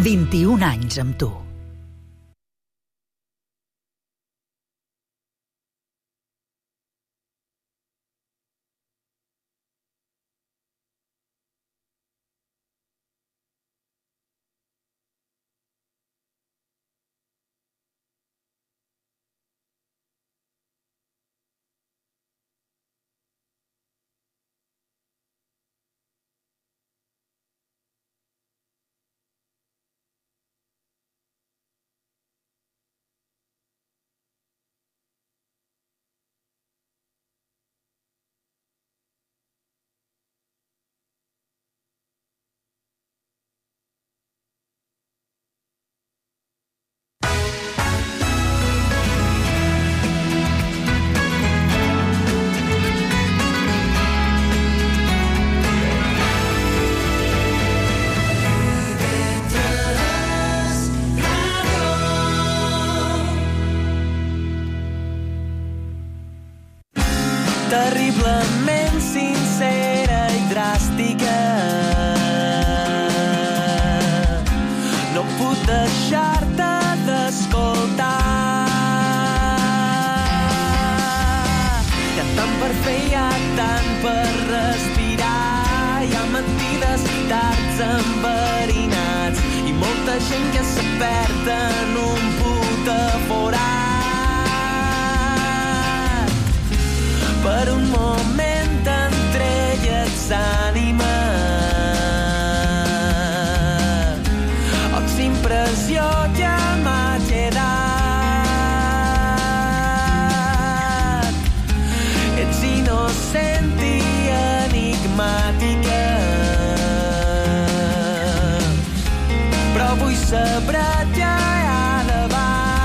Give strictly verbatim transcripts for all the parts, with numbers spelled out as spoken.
vint-i-un anys amb tu. Terriblement sincera i dràstica. No puc deixar-te d'escoltar. Hi ha tant per fer, hi ha tant per respirar. Hi ha mentides, dards enverinats i molta gent que se perd en un puta forat. Per un moment entre elles ànima, ox impressió ja m'ha quedat. Ets innocent i enigmàtica, però vull saber ja a davall.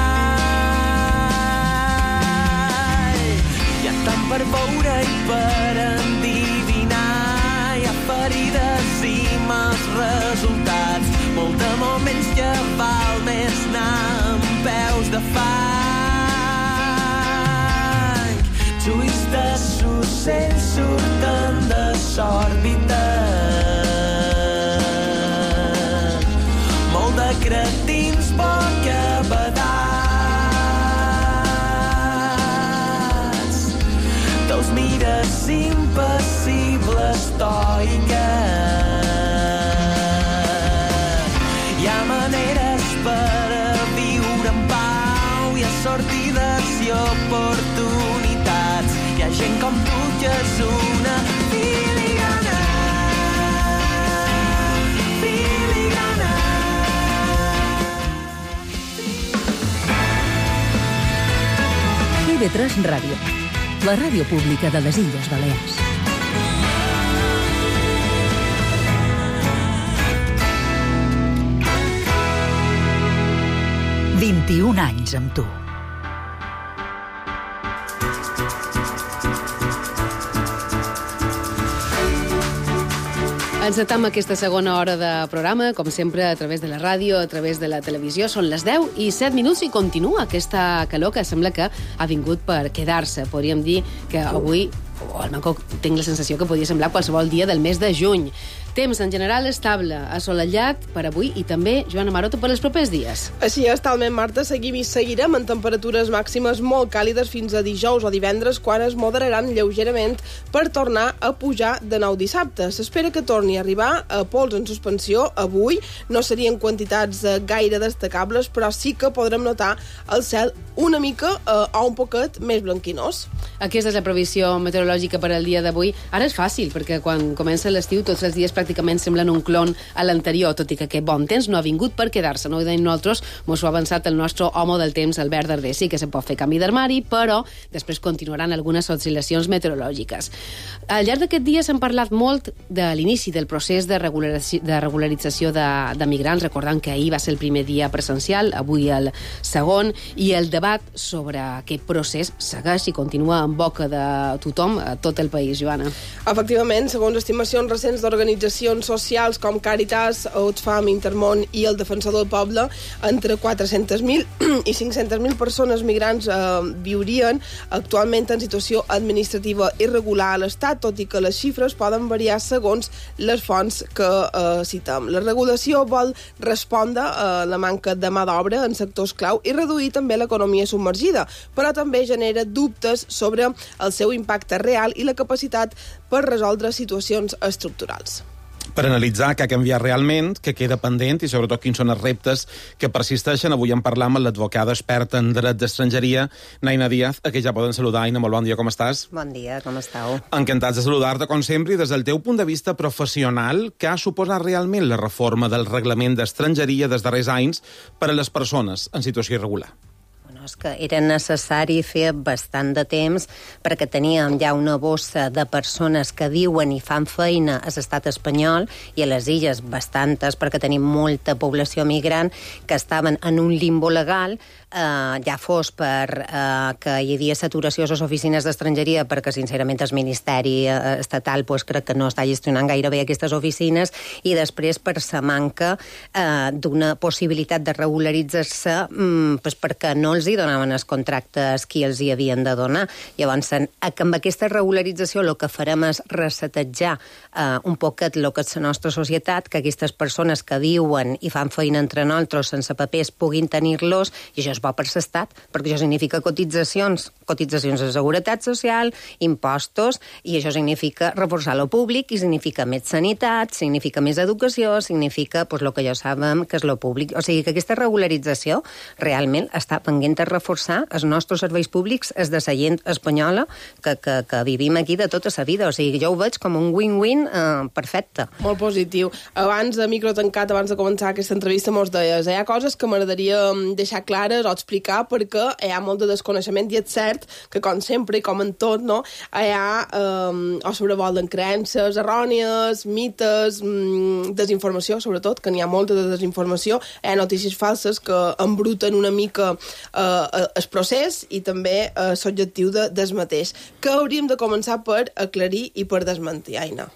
Hi ha tant per veure i per endivinar. Hi ha ferides i mals resultats. Molt de moments que val més anar amb peus de fang. Ulls de s'ocell surten de s'òrbita. Molt de cretins bocabadats. Te'ls mires impassible, estoica. Hi ha maneres per a viure en pau. Hi ha sortides i oportunitats. Hi ha gent com tu que és una filigrana. Filigrana. I ve tres Ràdio, la ràdio pública de les Illes Balears. vint-i-un anys amb tu. Encetam aquesta segona hora de programa, com sempre, a través de la ràdio, a través de la televisió. Són les deu i set minuts i continua aquesta calor que sembla que ha vingut per quedar-se. Podríem dir que avui, o almenys tinc la sensació que podria semblar qualsevol dia del mes de juny. Temps en general estable, assolellat per avui i també, Joana Maroto, per els propers dies. Així és, talment, Marta, seguim i seguirem en temperatures màximes molt càlides fins a dijous o divendres, quan es moderaran lleugerament per tornar a pujar de nou dissabte. S'espera que torni a arribar a pols en suspensió avui. No serien quantitats gaire destacables, però sí que podrem notar el cel una mica eh, o un poquet més blanquinós. Aquesta és la previsió meteorològica per al dia d'avui. Ara és fàcil, perquè quan comença l'estiu tots els dies pràcticament semblen un clon a l'anterior, tot i que aquest bon temps no ha vingut per quedar-se. No ho deim nosaltres, mos ho ha avançat el nostre home del temps, Albert Darder. Sí que se pot fer canvi d'armari, però després continuaran algunes oscil·lacions meteorològiques. Al llarg d'aquest dia s'han parlat molt de l'inici del procés de, regularització, de regularització de, de migrants, recordant que ahir va ser el primer dia presencial, avui el segon, i el debat sobre aquest procés segueix i continua en boca de tothom, a tot el país, Joana. Efectivament, segons estimacions recents d'organitzacions organitzacions socials com Càritas, Oxfam, Intermón i el Defensor del Poble, entre quatre-centes mil i cinc-centes mil persones migrants eh, viurien actualment en situació administrativa irregular a l'Estat, tot i que les xifres poden variar segons les fonts que eh, citem. La regulació vol respondre a la manca de mà d'obra en sectors clau i reduir també l'economia submergida, però també genera dubtes sobre el seu impacte real i la capacitat per resoldre situacions estructurals. Per analitzar què ha canviat realment, què queda pendent i sobretot quins són els reptes que persisteixen, avui en parlam amb l'advocada experta en dret d'estrangeria, Naina Díaz, a qui ja poden saludar. Aina, molt bon dia, com estàs? Bon dia, com estàu? Encantats de saludar-te, com sempre, i des del teu punt de vista professional, què ha suposat realment la reforma del reglament d'estrangeria dels darrers anys per a les persones en situació irregular? És que era necessari fer bastant de temps perquè teníem ja una bossa de persones que diuen i fan feina a l'estat espanyol i a les illes bastantes perquè tenim molta població migrant que estaven en un limbo legal, eh, ja fos per eh, que hi havia saturació a les oficines d'estrangeria perquè sincerament el Ministeri eh, Estatal pues, crec que no està gestionant gaire bé aquestes oficines i després per la manca eh, d'una possibilitat de regularitzar-se mm, pues, perquè no els hi donaven els contractes qui els hi havien de donar. Llavors, amb aquesta regularització el que farem és resetejar eh, un poquet el que és la nostra societat, que aquestes persones que viuen i fan feina entre nosaltres sense papers puguin tenir-los, i això és bo per l'estat, perquè això significa cotitzacions, cotitzacions de seguretat social, impostos, i això significa reforçar lo públic, i significa més sanitat, significa més educació, significa pues, el que ja sabem que és lo públic. O sigui que aquesta regularització realment està pendent de reforçar els nostres serveis públics, els de la gent espanyola, que, que, que vivim aquí de tota la vida. O sigui, jo ho veig com un win-win eh, perfecte. Molt positiu. Abans de micro tancat, abans de començar aquesta entrevista, mos deies, hi ha coses que m'agradaria deixar clares o explicar perquè hi ha molt de desconeixement i és cert que, com sempre i com en tot, no, hi ha eh, o sobrevolen creences errònies, mites, mm, desinformació, sobretot, que n'hi ha molta de desinformació, hi ha notícies falses que embruten una mica eh, el procés i també eh, l'objectiu de, del mateix. Que hauríem de començar per aclarir i per desmentir, Aina?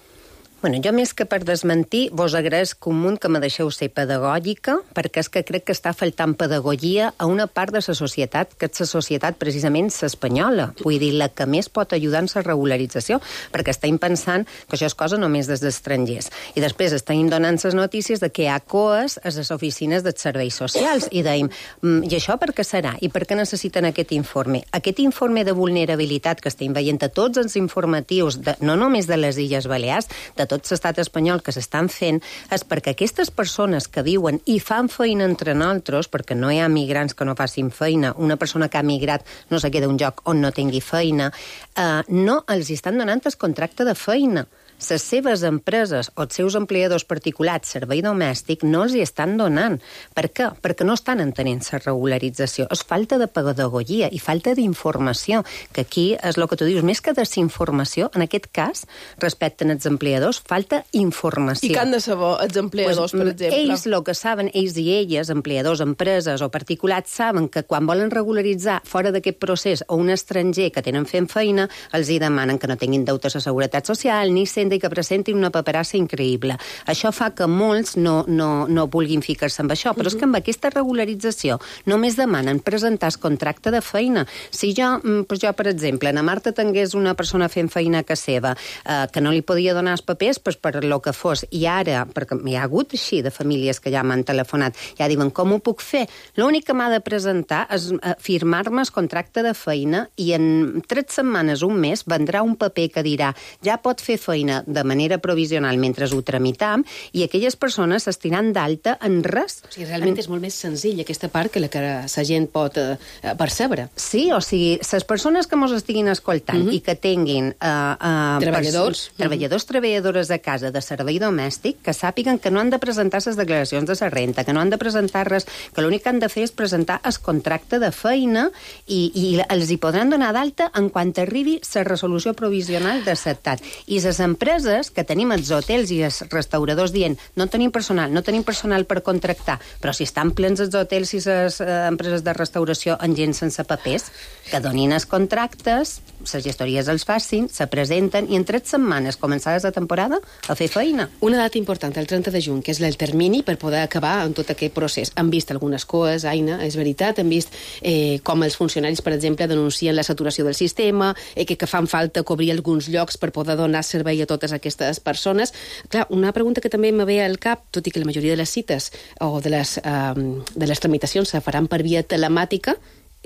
Bueno, jo més que per desmentir, vos agraeixo un munt que me deixeu ser pedagògica, perquè és que crec que està faltant pedagogia a una part de la societat, que és la societat precisament espanyola. Vull dir, la que més pot ajudar en la regularització, perquè estem pensant que això és cosa només des d'estrangers. I després estem donant les notícies de que hi ha coes a les oficines dels serveis socials. I deim, i això per què serà? I per què necessiten aquest informe? Aquest informe de vulnerabilitat que estem veient a tots els informatius, de, no només de les Illes Balears, de tot l'estat espanyol que s'estan fent, és perquè aquestes persones que viuen i fan feina entre nosaltres, perquè no hi ha migrants que no facin feina, una persona que ha migrat no se queda un lloc on no tingui feina, eh, no els estan donant el contracte de feina. Les seves empreses o els seus empleadors particulars, servei domèstic, no els hi estan donant. Per què? Perquè no estan entenent la regularització. És falta de pedagogia i falta d'informació, que aquí és el que tu dius, més que desinformació, en aquest cas, respecte als empleadors, falta informació. I què han de saber els empleadors, pues, per exemple? Ells el que saben, ells i elles, empleadors, empreses o particulars, saben que quan volen regularitzar fora d'aquest procés o un estranger que tenen fent feina, els hi demanen que no tinguin deutes a seguretat social, ni sent i que presentin una paperassa increïble. Això fa que molts no, no, no vulguin ficar-se amb això, però uh-huh. és que amb aquesta regularització només demanen presentar el contracte de feina. Si jo, pues jo per exemple, na Marta tingués una persona fent feina a casa seva eh, que no li podia donar els papers pues per lo que fos, i ara, perquè hi ha hagut així de famílies que ja m'han telefonat, ja diuen, com ho puc fer? L'únic que m'ha de presentar és eh, firmar-me el contracte de feina i en tres setmanes, un mes, vendrà un paper que dirà, ja pot fer feina de manera provisional mentre ho tramitam i aquelles persones s'estiran d'alta en res. O sigui, realment en... és molt més senzill aquesta part que la que la gent pot eh, percebre. Sí, o sigui, les persones que mos estiguin escoltant uh-huh. i que tinguin eh, eh, treballadors, uh-huh. treballadors, treballadores de casa de servei domèstic, que sàpiguen que no han de presentar les declaracions de la renta, que no han de presentar res, que l'únic que han de fer és presentar el contracte de feina i, i els hi podran donar d'alta en quan arribi la resolució provisional de l'estat. I les empreses empreses que tenim els hotels i els restauradors dient no tenim personal, no tenim personal per contractar, però si estan plens els hotels i les eh, empreses de restauració amb gent sense papers, que donin els contractes, les gestories els facin, se presenten i en tres setmanes començades la temporada a fer feina. Una data important, el trenta de juny, que és el termini per poder acabar amb tot aquest procés. Han vist algunes coes, Aina, és veritat, han vist eh, com els funcionaris, per exemple, denuncien la saturació del sistema, eh, que, que fan falta cobrir alguns llocs per poder donar servei a totes aquestes persones. Clar, una pregunta que també me ve al cap, tot i que la majoria de les cites o de les, eh, de les tramitacions se faran per via telemàtica,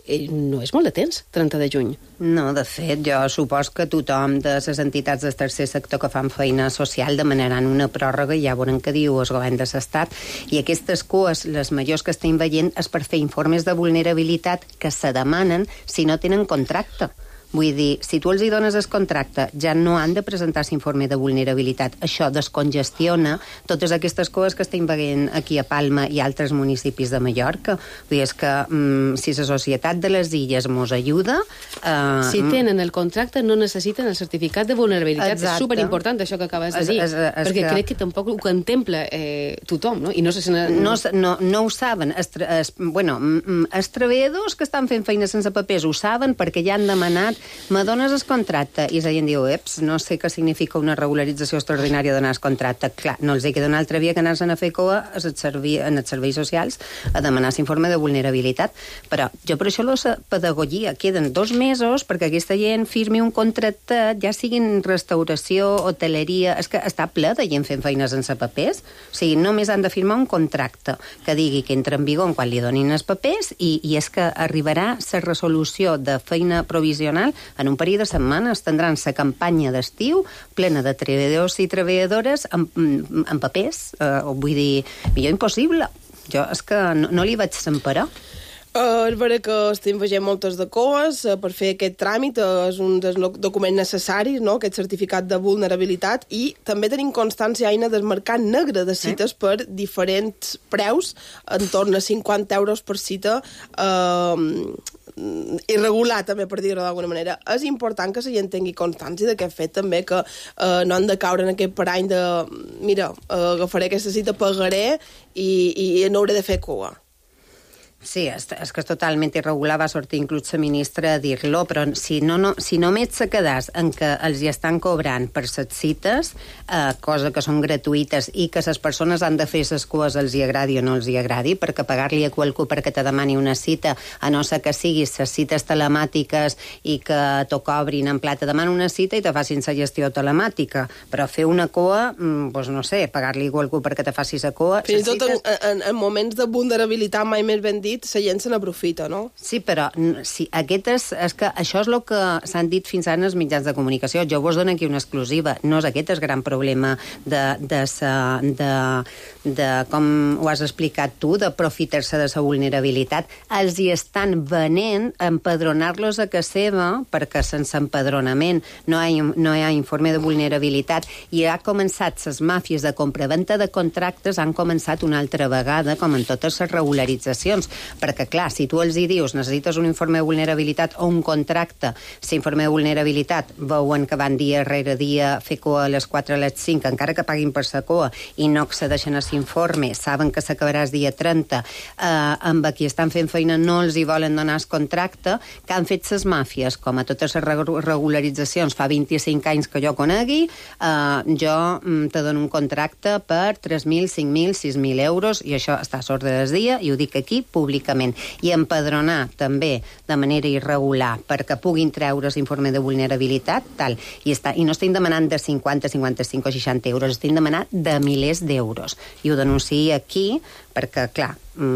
eh, no és molt de temps, trenta de juny. No, de fet, jo supos que tothom de les entitats del tercer sector que fan feina social demanaran una pròrroga i ja veurem què diu el govern de l'Estat. I aquestes cues, les majors que estem veient, és per fer informes de vulnerabilitat que se demanen si no tenen contracte. Vull dir, si tu els hi dones el contracte, ja no han de presentar l'informe de vulnerabilitat. Això descongestiona totes aquestes coses que estem veient aquí a Palma i altres municipis de Mallorca. Vull dir, és que mm, si la Societat de les Illes mos ajuda... Eh, si tenen el contracte, no necessiten el certificat de vulnerabilitat. Exacte. És superimportant això que acabes de dir, es, es, es perquè que... crec que tampoc ho contempla eh, tothom, no? I no, sé si no... No, no, no ho saben. Es, es, bueno, els treballadors que estan fent feina sense papers ho saben perquè ja han demanat me dones el contracte? I la gent diu, eps, no sé què significa una regularització extraordinària donar el contracte. Clar, no els hi queda una altra via que anar-se'n a fer coa en els serveis socials a demanar l'informe de vulnerabilitat. Però jo per això la pedagogia queden dos mesos perquè aquesta gent firmi un contracte, ja siguin restauració, hoteleria... És que està ple de gent fent feina sense papers. O sigui, només han de firmar un contracte que digui que entra en vigor quan li donin els papers i, i és que arribarà la resolució de feina provisional en un període de setmanes. Tindran la campanya d'estiu plena de treballadors i treballadores amb, amb papers. Eh, vull dir, millor impossible. Jo és que no, no li vaig semparar. Uh, és vera que estem veient moltes de coes uh, per fer aquest tràmit, uh, és un dels documents necessaris, no?, aquest certificat de vulnerabilitat, i també tenim constància, Aina, del mercat negre de cites eh? per diferents preus, en torn a cinquanta euros per cita, uh, irregular també, per dir-ho d'alguna manera. És important que la gent tingui constància d'aquest fet també, que uh, no han de caure en aquest parany de mira, uh, agafaré aquesta cita, pagaré i, i no hauré de fer cua. Sí, és, és que és totalment irregular, va sortir inclús la ministra a dir-lo, però si, no, no, si només se quedàs en que els hi estan cobrant per les cites, eh, cosa que són gratuïtes i que les persones han de fer les cues els hi agradi o no els hi agradi, perquè pagar-li a qualcú perquè te demani una cita, a no ser que siguis les cites telemàtiques i que t'ho cobrin en plat, te demanen una cita i te facin la gestió telemàtica, però fer una cua, doncs no sé, pagar-li a qualcú perquè te faci la cua... Fins i tot cites... en, en, en moments de vulnerabilitat mai més ben dit, la gent se n'aprofita, no? Sí, però sí, aquest és, és que això és el que s'han dit fins ara en els mitjans de comunicació. Jo vos dono aquí una exclusiva. No és aquest el gran problema de, de, sa, de, de com ho has explicat tu, d'aprofitar-se de la vulnerabilitat. Els hi estan venent empadronar-los a casa seva perquè sense empadronament no hi ha, no hi ha informe de vulnerabilitat i ha començat les màfies de compra-venta de contractes han començat una altra vegada, com en totes les regularitzacions. Perquè, clar, si tu els hi dius necessites un informe de vulnerabilitat o un contracte, l'informe de vulnerabilitat veuen que van dia rere dia fer coa a les quatre a les cinc, encara que paguin per la coa i no accedeixen a l'informe, saben que s'acabarà el dia trenta, eh, amb qui estan fent feina no els hi volen donar el contracte, que han fet les màfies, com a totes les regularitzacions fa vint-i-cinc anys que jo conegui, eh, jo te dono un contracte per tres mil, cinc mil, sis mil euros i això està a l'ordre del dia i ho dic aquí públicament. I empadronar també de manera irregular perquè puguin treure's informe de vulnerabilitat tal, i, està, i no estem demanant de cinquanta, cinquanta-cinc o seixanta euros, estem demanant de milers d'euros i ho denunciï aquí perquè, clar,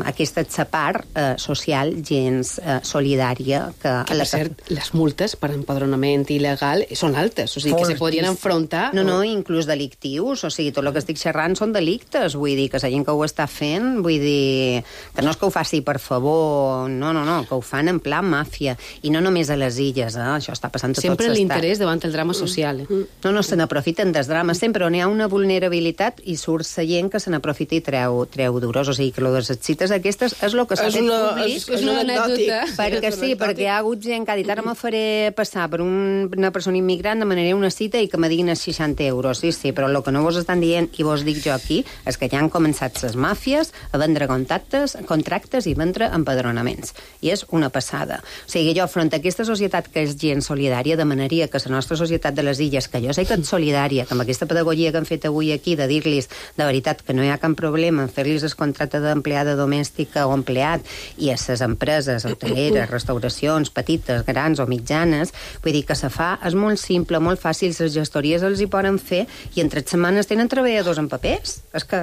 aquesta és la part eh, social gens eh, solidària que... Que, per cert, les multes per empadronament il·legal són altes, o sigui, que se podrien enfrontar... No, no, inclús delictius, o sigui, tot el que estic xerrant són delictes, vull dir, que la gent que ho està fent, vull dir, que no és que ho faci per favor, no, no, no, que ho fan en plan màfia, i no només a les illes, eh? Això està passant a tot l'estat. Sempre l'interès davant el drama social. Eh? No, no, se n'aprofiten dels drames, sempre on hi ha una vulnerabilitat i surt la gent que se n'aprofita i treu, treu duros, o sigui, que lo de les cites aquestes és el que s'ha fet públic. És una anècdota. Perquè sí, perquè hi ha hagut gent que ha dit ara me faré passar per un, una persona immigrant, demanaré una cita i que me diguin els seixanta euros. Sí, sí, però el que no vos estan dient i vos dic jo aquí és que ja han començat les màfies a vendre contactes, contractes i vendre empadronaments. I és una passada. O sigui, jo, front a aquesta societat que és gent solidària, demanaria que la nostra societat de les illes, que jo sé que és solidària, que amb aquesta pedagogia que han fet avui aquí, de dir-los de veritat que no hi ha cap problema en fer-los el contracte d'empleada domèstica o empleat i a les empreses, hoteleres, restauracions, petites, grans o mitjanes, vull dir que se fa, és molt simple, molt fàcil, les gestories els hi poden fer i en tres setmanes tenen treballadors en papers. És que,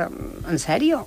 en sèrio,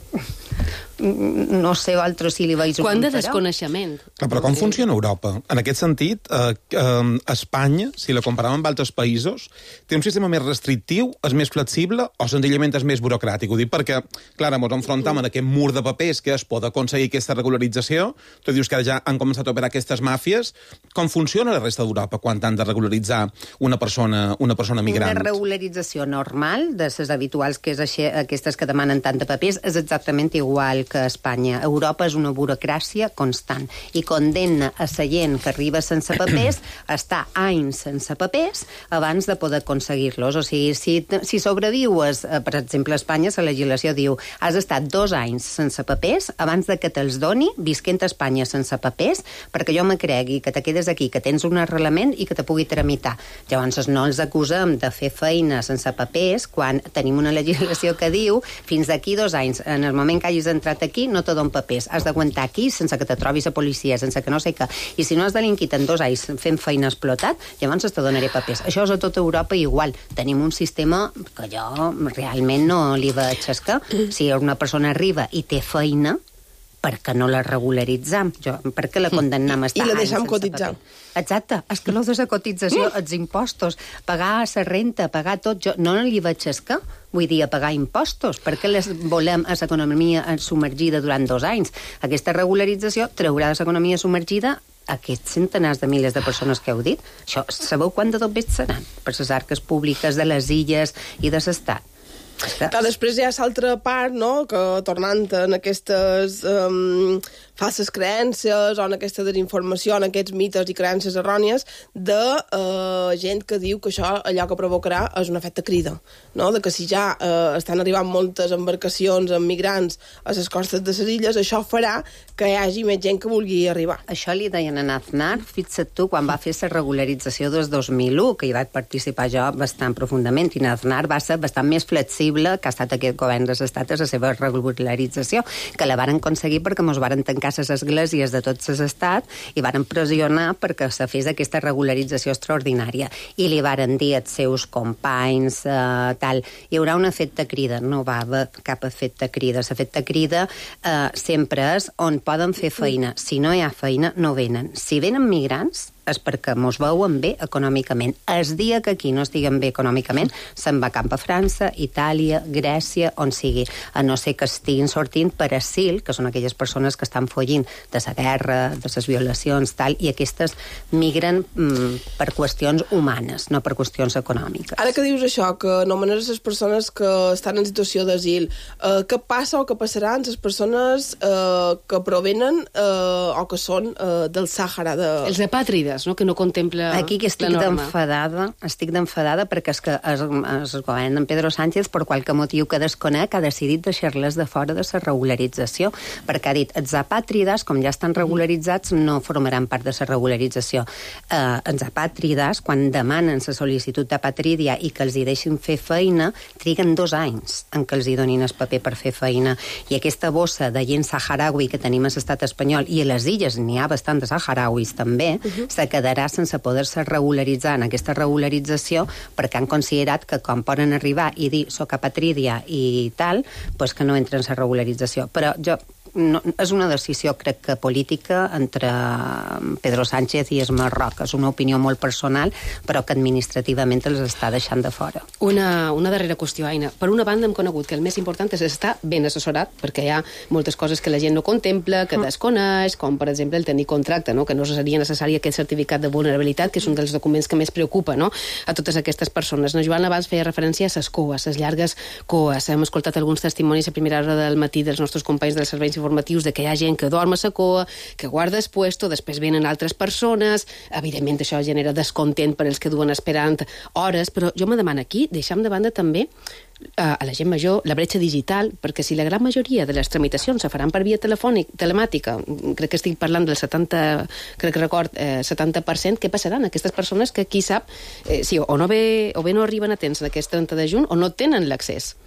no sé altres si li veig un Quant de desconeixement. Però com funciona Europa? En aquest sentit, eh, eh, Espanya, si la comparàvem amb altres països, té un sistema més restrictiu, és més flexible o senzillament és més burocràtic? Ho dic perquè, clar, ens enfrontem en aquest mur de papers que es pot aconseguir aquesta regularització. Tu dius que ara ja han començat a operar aquestes màfies. Com funciona la resta d'Europa quan han de regularitzar una persona, una persona migrant? Una regularització normal, de les habituals, que és així, aquestes que demanen tant de papers, és exactament igual que a Espanya. Europa és una burocràcia constant i condemna a la gent que arriba sense papers a estar anys sense papers abans de poder aconseguir-los. O sigui, si, si sobrevius, per exemple, a Espanya, la legislació diu has estat dos anys sense papers abans de que te'ls doni visquent a Espanya sense papers perquè jo me cregui que te quedes aquí, que tens un arrelament i que te pugui tramitar. Llavors no els acusem de fer feina sense papers quan tenim una legislació que diu fins d'aquí dos anys, en el moment que hagis entrat aquí no te don papers, has d'aguantar aquí sense que te trobis a policia, sense que no sé què, i si no has delinquit en dos anys fent feina explotat, llavors te donaré papers. Això és a tota Europa igual. Tenim un sistema que jo realment no li veig escar. Si una persona arriba i té feina, per què no la regularitzam? Jo, per què la condemnem a estar I la anys deixem sense cotitzar. paper? Exacte, és que lo de la cotització, els impostos, pagar la renta, pagar tot, jo no li veig escar. Vull dir, a pagar impostos. Per què les volem a l'economia submergida durant dos anys? Aquesta regularització traurà de l'economia submergida aquests centenars de milers de persones que heu dit. Això, sabeu quant de tot seran per les arques públiques de les illes i de l'Estat? Clar, després hi ha l'altra part, no?, que tornant en aquestes um, falses creences o en aquesta desinformació, en aquests mites i creences errònies de uh, gent que diu que això allò que provocarà és un efecte crida, no?, de que si ja uh, estan arribant moltes embarcacions amb migrants a les costes de les illes, això farà que hi hagi més gent que vulgui arribar. Això li deien a Aznar, fixa't tu, quan va fer la regularització des dos mil u, que hi vaig participar jo bastant profundament, i Aznar va ser bastant més flexible que ha estat aquest govern dels estats a la seva regularització, que la varen aconseguir perquè mos varen tancar les esglésies de tots els estats i varen pressionar perquè se fes aquesta regularització extraordinària. I li varen dir als seus companys, eh, tal, hi haurà un efecte crida. No va haver cap efecte crida. L'efecte crida eh, sempre és on poden fer feina. Si no hi ha feina, no venen. Si venen migrants, és perquè mos veuen bé econòmicament. El dia que aquí no estiguem bé econòmicament, se'n va cap a França, Itàlia, Grècia, on sigui, a no ser que estiguin sortint per asil, que són aquelles persones que estan fugint de la guerra, de les violacions, tal, i aquestes migren mm, per qüestions humanes, no per qüestions econòmiques. Ara que dius això, que anomenes les persones que estan en situació d'asil, eh, què passa o què passarà amb les persones eh, que provenen eh, o que són eh, del Sàhara? De... Els apàtrides, no?, que no contempla Aquí que estic la norma. d'enfadada, estic d'enfadada perquè és que el, el govern d'en Pedro Sánchez, per qualque motiu que desconec, ha decidit deixar-les de fora de la regularització, perquè ha dit, els apàtrides, com ja estan regularitzats, no formaran part de la regularització. Eh, els apàtrides, quan demanen la sol·licitud d'apatrídia i que els hi deixin fer feina, triguen dos anys en què els hi donin el paper per fer feina. I aquesta bossa de gent saharaui que tenim a l'estat espanyol, i a les illes n'hi ha bastant de saharauis també, uh -huh. se quedarà sense poder-se regularitzar en aquesta regularització perquè han considerat que com poden arribar i dir soc apatrídia i tal, doncs que no entren en la regularització. Però jo no, és una decisió, crec que política, entre Pedro Sánchez i el Marroc. És una opinió molt personal, però que administrativament els està deixant de fora. Una, una darrera qüestió, Aina. Per una banda hem conegut que el més important és estar ben assessorat, perquè hi ha moltes coses que la gent no contempla, que desconeix, com per exemple el tenir contracte, no?, que no seria necessari aquest certificat de vulnerabilitat, que és un dels documents que més preocupa, no?, a totes aquestes persones. No, Joan abans feia referència a les coes, les llargues coes. Hem escoltat alguns testimonis a primera hora del matí dels nostres companys dels serveis informatius de que hi ha gent que dorm a la cua, que guarda el puesto, després venen altres persones, evidentment això genera descontent per als que duen esperant hores, però jo me demano aquí, deixem de banda també a la gent major la bretxa digital, perquè si la gran majoria de les tramitacions se faran per via telefònic, telemàtica, crec que estic parlant del setanta, crec que record, eh, setanta per cent, què passaran? Aquestes persones que qui sap, eh, sí, o no ve, o bé no arriben a temps d'aquest trenta de juny o no tenen l'accés.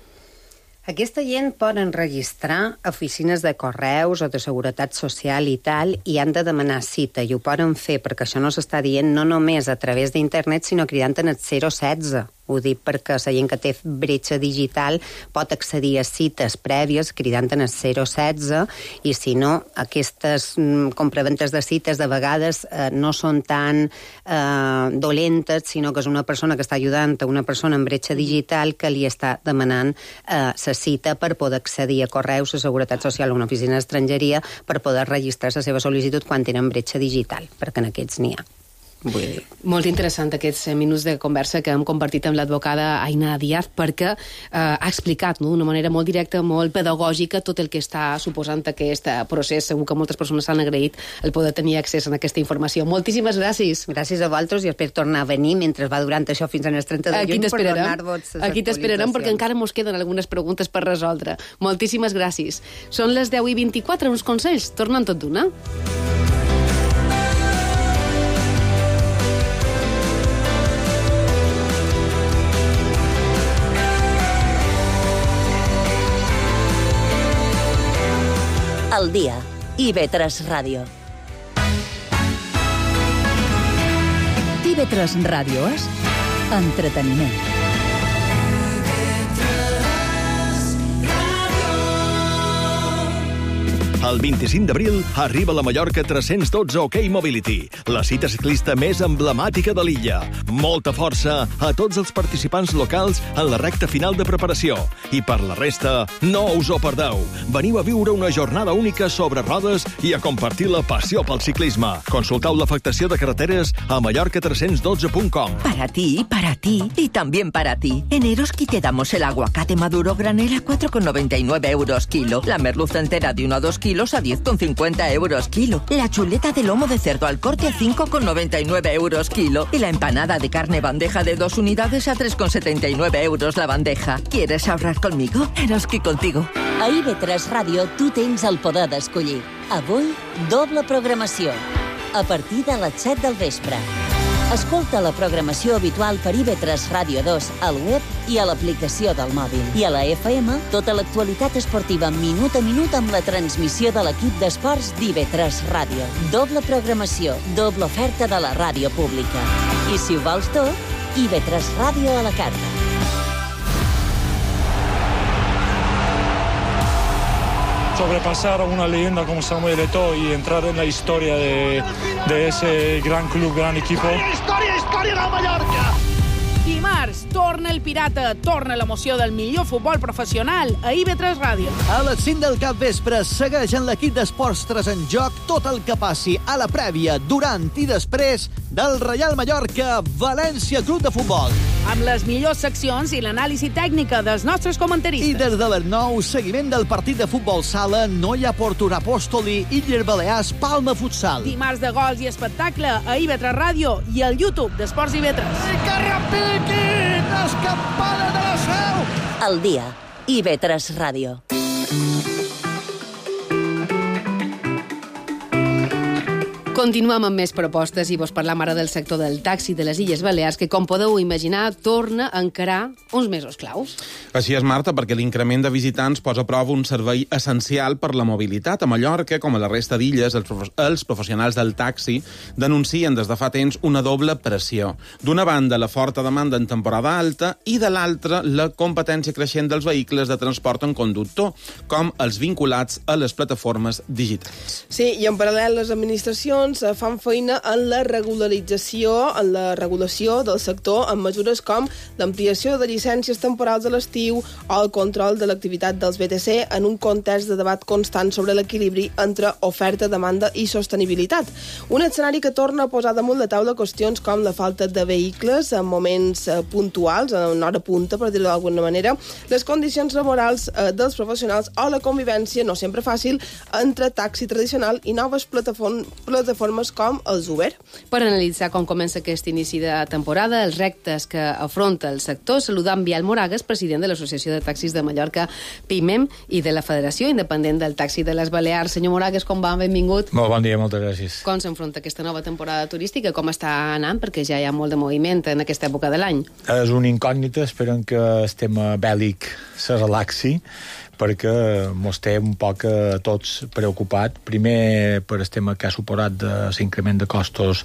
Aquesta gent poden registrar oficines de correus o de seguretat social i tal, i han de demanar cita, i ho poden fer, perquè això no s'està dient no només a través d'internet, sinó cridant en el zero setze. Ho dic perquè la gent que té bretxa digital pot accedir a cites prèvies cridant en el zero setze, i si no, aquestes mm, compraventes de cites de vegades eh, no són tan eh, dolentes, sinó que és una persona que està ajudant a una persona en bretxa digital que li està demanant la eh, cita per poder accedir a correus, a Seguretat Social o una oficina d'estrangeria per poder registrar la seva sol·licitud quan tenen bretxa digital, perquè en aquests n'hi ha. Vull dir. Molt interessant aquests minuts de conversa que hem compartit amb l'advocada Aina Díaz, perquè eh, ha explicat no, d'una manera molt directa, molt pedagògica, tot el que està suposant aquest procés. Segur que moltes persones s'han agraït el poder tenir accés a aquesta informació. Moltíssimes gràcies. Gràcies a vosaltres i espero tornar a venir mentre va durant això fins al trenta de juny per donar-vos les Aquí t'esperarem perquè encara mos queden algunes preguntes per resoldre. Moltíssimes gràcies. Són les deu i vint-i-quatre, uns consells. Tornen tot d'una. Al dia. I ve tres Ràdio. I ve tres Ràdio és entreteniment. El vint-i-cinc d'abril arriba la Mallorca tres-cents dotze OK Mobility, la cita ciclista més emblemàtica de l'illa. Molta força a tots els participants locals en la recta final de preparació. I per la resta, no us ho perdeu. Veniu a viure una jornada única sobre rodes i a compartir la passió pel ciclisme. Consultau l'afectació de carreteres a mallorca tres-cents dotze punt com. Para ti, para ti y también para ti. En Eroski te damos el aguacate maduro granel a cuatro con noventa y nueve euros kilo, la merluza entera de uno a dos kilos a diez con cincuenta euros kilo, la chuleta de lomo de cerdo al corte a cinco con noventa y nueve euros kilo y la empanada de carne bandeja de dos unidades a tres con setenta y nueve euros la bandeja. ¿Quieres ahorrar conmigo? Eroski contigo. A I V tres Ràdio tu tens el poder d'escollir. Avui, doble programació. A partir de les set del vespre. Escolta la programació habitual per I V tres Ràdio dos al web i a l'aplicació del mòbil. I a la F M, tota l'actualitat esportiva minut a minut amb la transmissió de l'equip d'esports d'I V tres Ràdio. Doble programació, doble oferta de la ràdio pública. I si ho vols tot, I V tres Ràdio a la carta. Sobrepasar a una leyenda como Samuel Eto'o y entrar en la historia de, de ese gran club, gran equipo. Història, història del Mallorca! Dimarts, torna el Pirata, torna l'emoció del millor futbol professional a I V tres Ràdio. A les cinc del capvespre segueix en l'equip d'Esports tres en joc tot el que passi a la prèvia, durant i després del Reial Mallorca València Club de Futbol. Amb les millors seccions i l'anàlisi tècnica dels nostres comentaristes. I des de les nou, seguiment del partit de futbol sala Noia Porto Apòstoli i Illes Balears Palma Futsal. Dimarts de gols i espectacle a I V tres Ràdio i al YouTube d'Esports I V tres. I que repiquin les campanes de la Seu! Al dia. I V tres Ràdio. Continuem amb més propostes i vos parlam ara del sector del taxi de les Illes Balears, que, com podeu imaginar, torna a encarar uns mesos claus. Així és, Marta, perquè l'increment de visitants posa a prova un servei essencial per la mobilitat. A Mallorca, com a la resta d'illes, els, prof els professionals del taxi denuncien des de fa temps una doble pressió. D'una banda, la forta demanda en temporada alta i, de l'altra, la competència creixent dels vehicles de transport en conductor, com els vinculats a les plataformes digitals. Sí, i en paral·lel les administracions doncs, fan feina en la regularització, en la regulació del sector amb mesures com l'ampliació de llicències temporals a l'estiu o el control de l'activitat dels B T C en un context de debat constant sobre l'equilibri entre oferta, demanda i sostenibilitat. Un escenari que torna a posar damunt la taula qüestions com la falta de vehicles en moments eh, puntuals, en hora punta, per dir-ho d'alguna manera, les condicions laborals eh, dels professionals o la convivència, no sempre fàcil, entre taxi tradicional i noves plataform plataformes com els Uber. Per analitzar com comença aquest inici de temporada, els reptes que afronta el sector, saludant Biel Moragues, president de l'Associació de Taxis de Mallorca, PIMEM, i de la Federació Independent del Taxi de les Balears. Senyor Moragues, com va? Benvingut. Molt bon dia, moltes gràcies. Com s'enfronta aquesta nova temporada turística? Com està anant? Perquè ja hi ha molt de moviment en aquesta època de l'any. És una incògnita, esperem que el tema bèl·lic se relaxi, perquè mos té un poc a tots preocupat. Primer, per el tema que ha suposat de l'increment de costos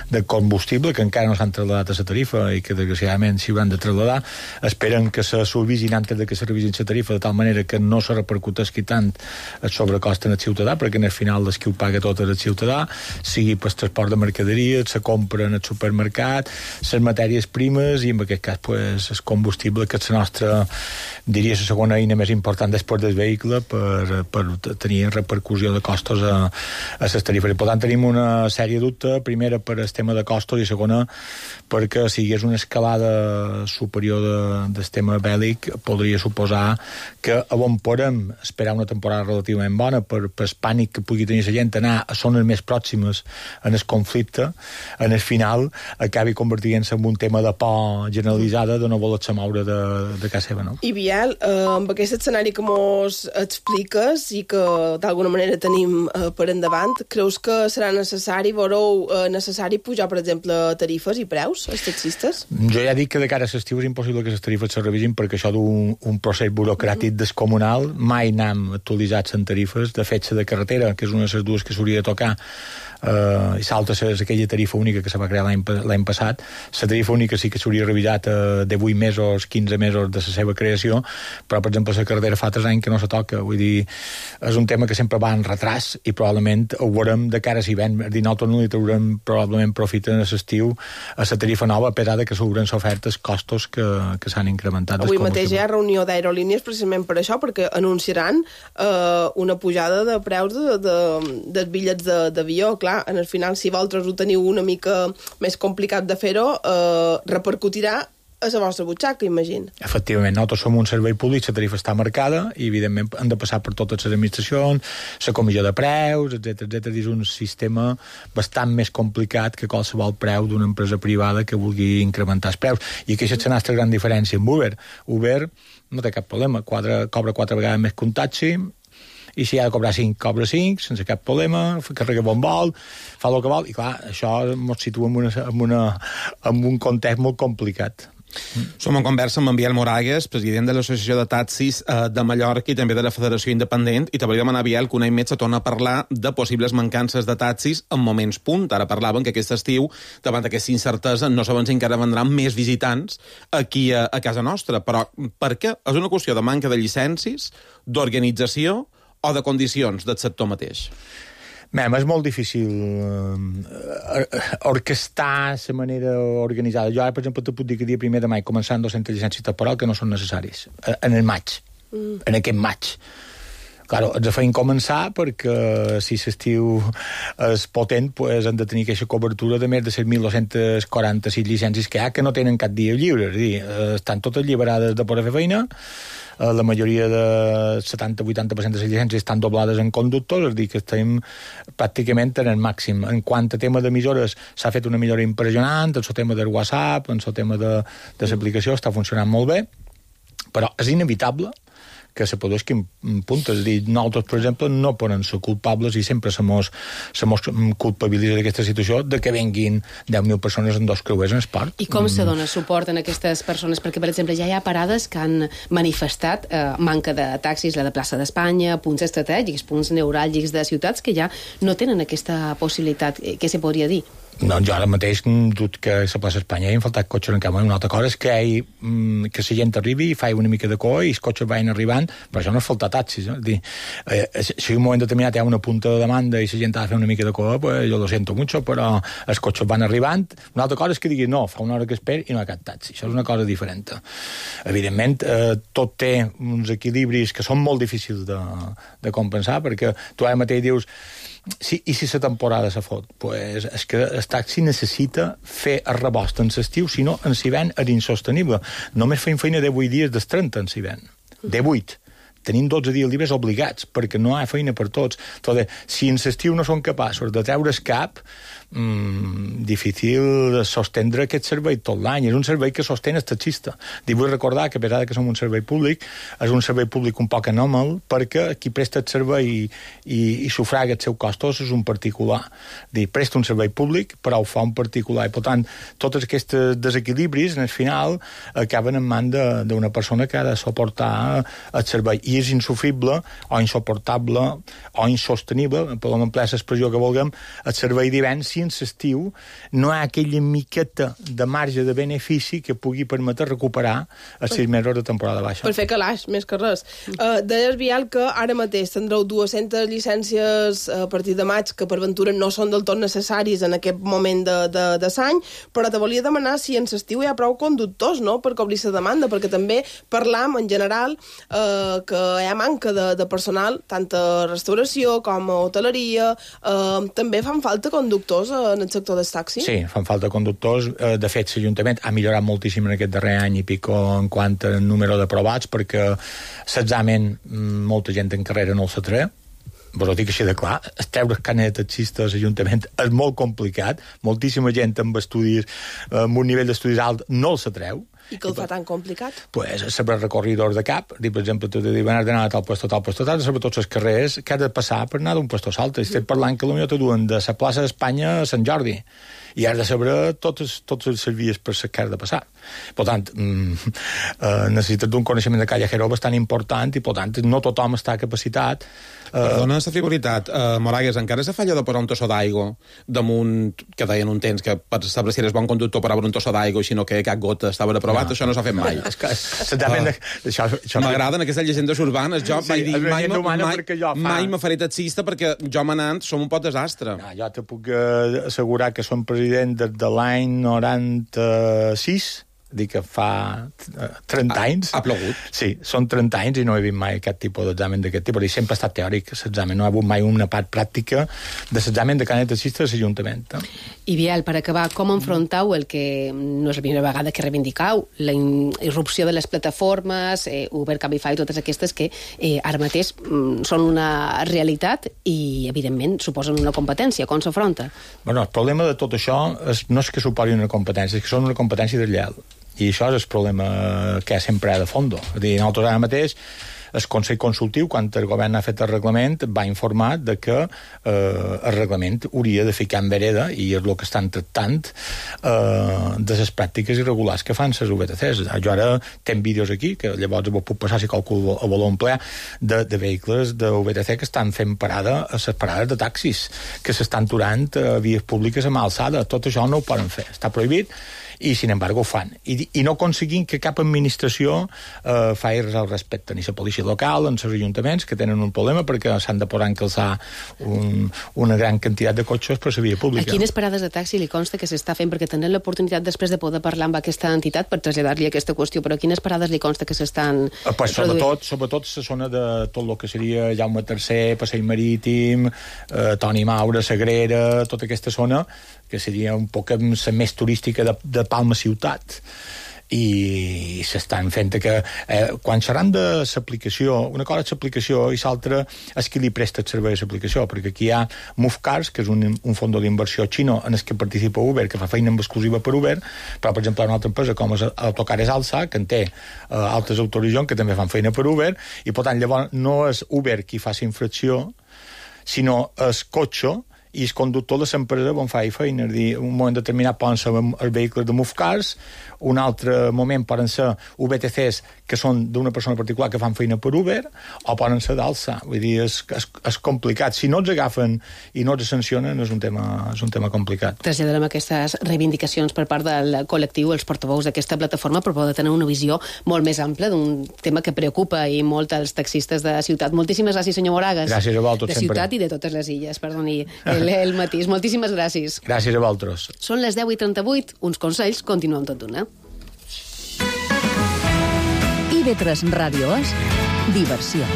de combustible, que encara no s'han traslladat a la tarifa i que, desgraciadament, s'hi hauran de traslladar. Esperen que se suavisin antes de que se revisin la tarifa, de tal manera que no se repercutesqui tant el sobrecost en el ciutadà, perquè en el final el qui ho paga tot és el ciutadà, sigui per el transport de mercaderies, la compra en el supermercat, les matèries primes i, en aquest cas, pues, el combustible, que és la nostra, diria, la segona eina més important després del vehicle per, per tenir repercussió de costos a, a les tarifes. I, per tant, tenim una sèrie de dubtes, primera per el tema de costos i segona perquè si hi hagués una escalada superior de, del tema bèl·lic podria suposar que a on podem esperar una temporada relativament bona per, per el pànic que pugui tenir la gent anar a zones més pròximes en el conflicte, en el final acabi convertint-se en un tema de por generalitzada de no voler-se moure de, de casa seva, no? I Biel, eh, amb aquest escenari que mos expliques i que d'alguna manera tenim eh, per endavant, creus que serà necessari, veureu eh, necessari pujar, per exemple, tarifes i preus als taxistes? Jo ja dic que de cara a l'estiu és impossible que les tarifes se revisin perquè això d'un un procés burocràtic mm-hmm. descomunal, mai n'hem actualitzat en tarifes. De fet, la de carretera, que és una de les dues que s'hauria de tocar, Uh, i l'altra és aquella tarifa única que se va crear l'any passat. La tarifa única sí que s'hauria revisat uh, de vuit mesos, quinze mesos de la seva creació, però per exemple la carretera fa tres anys que no se toca, vull dir, és un tema que sempre va en retras i probablement ho veurem de cara a l'hivern. És dir, nosaltres no li traurem probablement profit en l'estiu a la tarifa nova, a pesar de que s'hauran sofert els costos que, que s'han incrementat. Avui mateix hi ha reunió d'aerolínies precisament per això, perquè anunciaran uh, una pujada de preus de, de, dels bitllets d'avió. Clar, en el final, si vosaltres ho teniu una mica més complicat de fer-ho, eh, repercutirà a la vostra butxaca, imagino. Efectivament, nosaltres som un servei públic, la tarifa està marcada i, evidentment, han de passar per totes les administracions, la comissió de preus, etcètera, etcètera. És un sistema bastant més complicat que qualsevol preu d'una empresa privada que vulgui incrementar els preus. I aquesta és la nostra gran diferència amb Uber. Uber no té cap problema, quatre, cobra quatre vegades més que un taxi, i si ha de cobrar cinc, cobra cinc, sense cap problema, carrega bon vol, fa el que vol, i clar, això ens situa en, una, en, una, en un context molt complicat. Som en conversa amb en Biel Moragues, president de l'Associació de Taxis eh, de Mallorca i també de la Federació Independent, i te volia demanar, Biel, que un any més se torna a parlar de possibles mancances de taxis en moments punt. Ara parlaven que aquest estiu, davant d'aquesta incertesa, no sabem si encara vendran més visitants aquí a, a casa nostra, però per què? És una qüestió de manca de llicències, d'organització o de condicions del sector mateix? Mem, és molt difícil uh, orquestar la manera organitzada. Jo ara, per exemple, te puc dir que dia primer de maig començant dues-centes llicències temporals que no són necessaris. En el maig. Mm. En aquest maig. Claro, ens feien començar perquè si l'estiu és potent pues, han de tenir aquesta cobertura de més de set mil dos-cents quaranta-sis llicències que hi ha que no tenen cap dia lliure. És a dir, estan totes alliberades de poder fer feina, la majoria de setanta a vuitanta per cent de les llicències estan doblades en conductors, és a dir, que estem pràcticament en el màxim. En quant a tema d'emissores, s'ha fet una millora impressionant, en el tema del WhatsApp, en el tema de, de l'aplicació, està funcionant molt bé, però és inevitable que se produeixin puntes. És a dir, nosaltres, per exemple, no poden ser culpables i sempre se mos, se mos culpabilitza d'aquesta situació de que venguin deu mil persones en dos creuers en esport. I com mm. se dona suport en aquestes persones? Perquè, per exemple, ja hi ha parades que han manifestat eh, manca de taxis, la de plaça d'Espanya, punts estratègics, punts neuràlgics de ciutats que ja no tenen aquesta possibilitat. Què se podria dir? No, jo ara mateix dut que a la plaça Espanya hi han faltat cotxes en camp. Una altra cosa és que, hi, que la gent arribi i fa una mica de cua i els cotxes vagin arribant, però això no és faltar taxis. No? Dir, eh, si en un moment determinat hi ha una punta de demanda i la gent ha de fer una mica de cua, pues jo lo siento mucho, però els cotxes van arribant. Una altra cosa és que digui, no, fa una hora que esperi i no hi ha cap taxi. Això és una cosa diferent. Evidentment, eh, tot té uns equilibris que són molt difícils de, de compensar, perquè tu ara mateix dius, sí, i si la temporada se fot? Pues és que el taxi necessita fer el rebost en l'estiu, si no, en l'hivern és insostenible. Només feim feina de vuit dies dels trenta en l'hivern. De vuit. Tenim dotze dies llibres obligats, perquè no hi ha feina per tots. Entonces, si en l'estiu no són capaços de treure's cap, mmm, difícil sostendre aquest servei tot l'any. És un servei que sostén el taxista. I vull recordar que, a pesar que som un servei públic, és un servei públic un poc anòmal, perquè qui presta el servei i, i, i sufraga els seus costos és un particular. Dir, presta un servei públic, però ho fa un particular. I, per tant, tots aquests desequilibris, en el final, acaben en mans d'una persona que ha de suportar el servei. I és insufrible o insuportable o insostenible, per l'emplear l'expressió que vulguem, el servei d'hivern si en l'estiu no hi ha aquella miqueta de marge de benefici que pugui permetre recuperar els sis mesos de temporada baixa. Per fer calaix, més que res. Uh, Deies, Biel, que ara mateix tindreu dues-centes llicències a partir de maig que per ventura no són del tot necessaris en aquest moment de, de, de l'any, però te volia demanar si en l'estiu hi ha prou conductors, no?, per cobrir la demanda, perquè també parlam en general eh, que hi ha manca de, de personal, tant a restauració com a hoteleria. Eh, també fan falta conductors en el sector dels taxis? Sí, fan falta conductors. De fet, l'Ajuntament ha millorat moltíssim en aquest darrer any i pico en quant a número d'aprovats, perquè l'examen molta gent en carrera no el s'atreu. Però ho dic així de clar, treure carnet de taxista a l'Ajuntament és molt complicat, moltíssima gent amb estudis, amb un nivell d'estudis alt no el s'atreu. I que el fa tan complicat? Pues saber recorridors de cap, dir, per exemple, tu dius, van d'anar a tal puesto, tal puesto, tal, saber tots els carrers que has de passar per anar d'un puesto a l'altre. Estic parlant que potser te duen de la plaça d'Espanya a Sant Jordi i has de saber tots, tots els vies per les que has de passar. Per tant, mm, eh, necessites d'un coneixement de callejero bastant important i, per tant, no tothom està capacitat. Eh... Perdona la frivolitat, uh, Moragues, encara se falla de posar un tossó d'aigua damunt, que deien un temps que per saber si eres bon conductor per obre un tossó d'aigua, sinó que cap gota estava aprovat, no. Això no s'ha fet mai. M'agraden aquestes llegendes urbanes. Jo sí, vaig dir, mai, mai, fa... mai me faré taxista perquè jo manant som un pot desastre. No, jo te puc assegurar que som president des de l'any noranta-sis, dic que fa trenta anys. Ha plogut? Sí, són trenta anys i no he vist mai aquest tipus d'examen d'aquest tipus. I sempre ha estat teòric, l'examen. No ha hagut mai una part pràctica de l'examen de carnet taxista de l'Ajuntament. I, Biel, per acabar, com enfrontau el que no és la primera vegada que reivindicau, la irrupció de les plataformes, eh, Uber, Cabify, totes aquestes que eh, ara mateix mm, són una realitat i, evidentment, suposen una competència. Com s'afronta? Bueno, el problema de tot això és, no és que suposi una competència, és que són una competència deslleial. I això és el problema que sempre hi ha de fondo. És a dir, nosaltres ara mateix, el Consell Consultiu, quan el govern ha fet el reglament, va informar de que eh, el reglament hauria de ficar en vereda, i és el que estan tractant, eh, de les pràctiques irregulars que fan les U B T Cs. Jo ara tenc vídeos aquí, que llavors ho puc passar si qualcú ho vol emplear, de, de vehicles de U B T C que estan fent parada a les parades de taxis, que s'estan aturant a vies públiques a mà alçada. Tot això no ho poden fer. Està prohibit, i, sin embargo, ho fan. I, i no aconseguint que cap administració eh, faci res al respecte, ni la policia local, ni els ajuntaments, que tenen un problema perquè s'han de posar a encalçar un, una gran quantitat de cotxes per la via pública. A quines parades de taxi li consta que s'està fent? Perquè tenen l'oportunitat després de poder parlar amb aquesta entitat per traslladar-li aquesta qüestió, però a quines parades li consta que s'estan eh, pues, sobretot, sobretot la zona de tot el que seria Jaume tercer, Passeig Marítim, eh, Toni Maura, Sagrera, tota aquesta zona, que seria un poc la més turística de, de Palma ciutat. I s'estan fent que eh, quan seran de l'aplicació, una cosa és l'aplicació i l'altra és qui li presta el servei a l'aplicació, perquè aquí hi ha MoveCars, que és un, un fons d'inversió xino en el que participa Uber, que fa feina en exclusiva per Uber, però per exemple una altra empresa com és Autocares Alsa, que en té eh, altres autoritzons que també fan feina per Uber, i per tant llavors no és Uber qui fa la infracció, sinó el cotxe, i el conductor de l'empresa on fa feina, és dir, un moment determinat poden ser els vehicles de Movecars, un altre moment poden ser U B T Cs que són d'una persona particular que fan feina per Uber, o poden ser d'alça. Vull dir, és, és, és complicat. Si no els agafen i no els sancionen, és un tema, és un tema complicat. Traslladarem aquestes reivindicacions per part del col·lectiu, els portaveus d'aquesta plataforma, per poder tenir una visió molt més ampla d'un tema que preocupa i molt als taxistes de ciutat. Moltíssimes gràcies, senyor Moragas. Gràcies a vosaltres, de sempre. Ciutat i de totes les illes, perdoni el, el matís. Moltíssimes gràcies. Gràcies a vosaltres. Són les deu i trenta-vuit, uns consells, continuem tot d'una. I V tres Ràdio és diversió.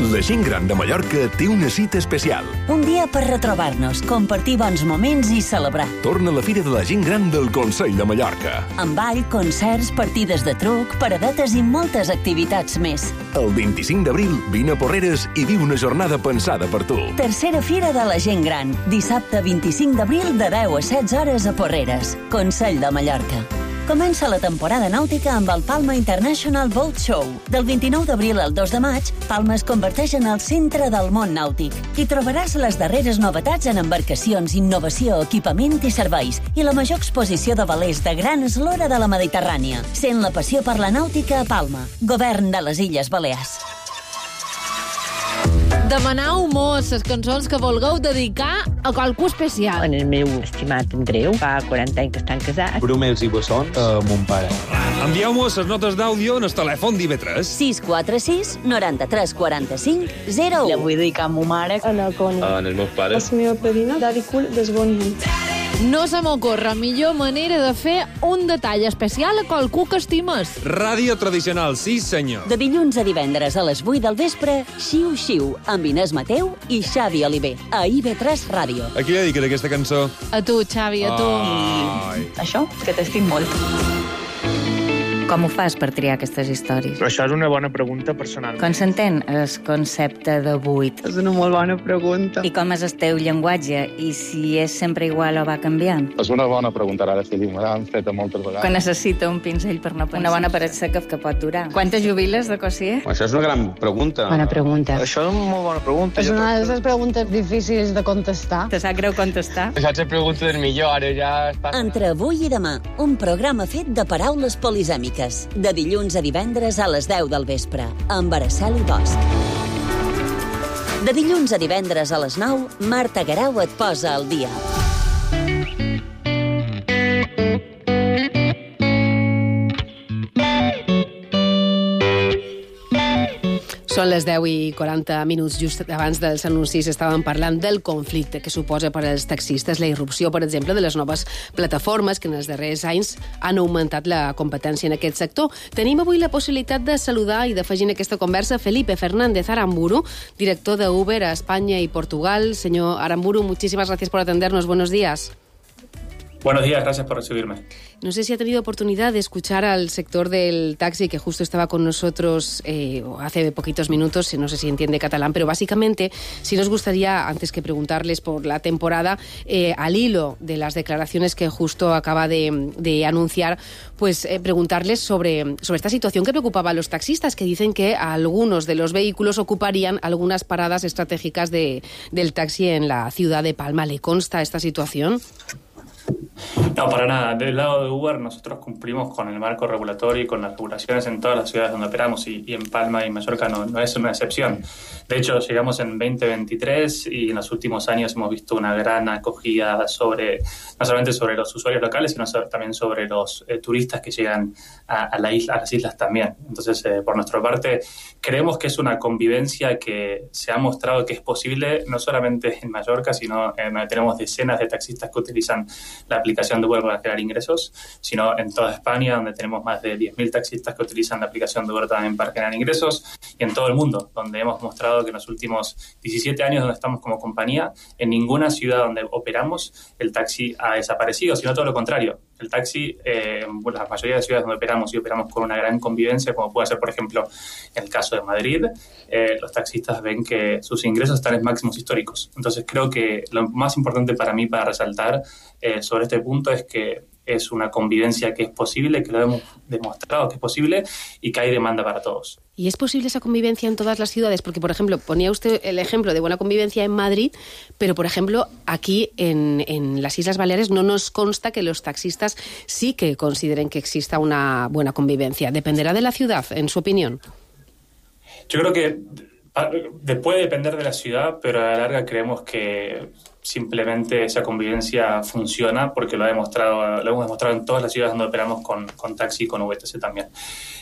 La gent gran de Mallorca té una cita especial. Un dia per retrobar-nos, compartir bons moments i celebrar. Torna la Fira de la Gent Gran del Consell de Mallorca. Amb ball, concerts, partides de truc, paradetes i moltes activitats més. El vint-i-cinc d'abril, vine a Porreres i viu una jornada pensada per tu. Tercera Fira de la Gent Gran. Dissabte vint-i-cinc d'abril de deu a setze hores a Porreres. Consell de Mallorca. Comença la temporada nàutica amb el Palma International Boat Show. Del vint-i-nou d'abril al dos de maig, Palma es converteix en el centre del món nàutic. Hi trobaràs les darreres novetats en embarcacions, innovació, equipament i serveis, i la major exposició de velers de gran eslora de la Mediterrània. Sent la passió per la nàutica a Palma. Govern de les Illes Balears. Demanau mos les cançons que vulgueu dedicar a qualcú especial. En el meu estimat Andreu, fa quaranta anys que estan casats. Brumels i Bessons, a mon pare. Envieu-mos les notes d'àudio en el telèfon d'I V tres. sis quatre sis, noranta-tres, quaranta-cinc, zero u. La vull dedicar a ma mare. A la Connie. En els meus pares. A la meva padrina, Daddy Cool, des Bonny. No se m'ocorre millor manera de fer un detall especial a qualcú que estimes. Ràdio tradicional, sí senyor. De dilluns a divendres a les vuit del vespre, Xiu Xiu, amb Inés Mateu i Xavi Oliver, a I V tres Ràdio. A qui li dediques aquesta cançó? A tu, Xavi, a tu. Ai. Això, que t'estic molt. Com ho fas per triar aquestes històries? Però això és una bona pregunta personal. Com s'entén el concepte de buit? És una molt bona pregunta. I com és el teu llenguatge? I si és sempre igual o va canviant? És una bona pregunta, ara sí, me l'han fet moltes vegades. Que necessita un pinzell per no pensar. Una bona paret seca que pot durar. Quantes jubiles de cosier? Això és una gran pregunta. Bona pregunta. Això és una molt bona pregunta. És una de les preguntes difícils de contestar. Te sap greu contestar? Això és la pregunta del millor, ara ja està... Entre avui i demà, un programa fet de paraules polisèmiques. De dilluns a divendres a les deu del vespre, amb Araceli Bosch. De dilluns a divendres a les nou, Marta Garau et posa al dia. Són les deu i quaranta minuts, just abans dels anuncis estàvem parlant del conflicte que suposa per als taxistes la irrupció, per exemple, de les noves plataformes que en els darrers anys han augmentat la competència en aquest sector. Tenim avui la possibilitat de saludar i d'afegir en aquesta conversa Felipe Fernández Aramburu, director de Uber a España y Portugal. Señor Aramburu, muchísimas gracias por atendernos. Buenos días. Buenos días, gracias por recibirme. No sé si ha tenido oportunidad de escuchar al sector del taxi que justo estaba con nosotros eh, hace poquitos minutos, no sé si entiende catalán, pero básicamente sí nos gustaría, antes que preguntarles por la temporada, eh, al hilo de las declaraciones que justo acaba de, de anunciar, pues eh, preguntarles sobre, sobre esta situación que preocupaba a los taxistas, que dicen que algunos de los vehículos ocuparían algunas paradas estratégicas de, del taxi en la ciudad de Palma. ¿Le consta esta situación? No, para nada. Del lado de Uber nosotros cumplimos con el marco regulatorio y con las regulaciones en todas las ciudades donde operamos y, y en Palma y Mallorca no, no es una excepción. De hecho, llegamos en veinte veintitrés y en los últimos años hemos visto una gran acogida sobre, no solamente sobre los usuarios locales, sino sobre, también sobre los eh, turistas que llegan a, a, la isla, a las islas también. Entonces, eh, por nuestra parte, creemos que es una convivencia que se ha mostrado que es posible no solamente en Mallorca, sino eh, tenemos decenas de taxistas que utilizan la aplicación de Uber para generar ingresos, sino en toda España, donde tenemos más de diez mil taxistas que utilizan la aplicación de Uber también para generar ingresos, y en todo el mundo, donde hemos mostrado que en los últimos diecisiete años donde estamos como compañía, en ninguna ciudad donde operamos el taxi ha desaparecido, sino todo lo contrario. El taxi, eh, en la mayoría de ciudades donde operamos y operamos con una gran convivencia, como puede ser, por ejemplo, en el caso de Madrid, eh, los taxistas ven que sus ingresos están en máximos históricos. Entonces creo que lo más importante para mí para resaltar eh, sobre este punto es que es una convivencia que es posible, que lo hemos demostrado que es posible y que hay demanda para todos. ¿Y es posible esa convivencia en todas las ciudades? Porque, por ejemplo, ponía usted el ejemplo de buena convivencia en Madrid, pero, por ejemplo, aquí en, en las Islas Baleares no nos consta que los taxistas sí que consideren que exista una buena convivencia. ¿Dependerá de la ciudad, en su opinión? Yo creo que puede depender de la ciudad, pero a la larga creemos que simplemente esa convivencia funciona porque lo ha demostrado, lo hemos demostrado en todas las ciudades donde operamos con, con taxi y con V T C también.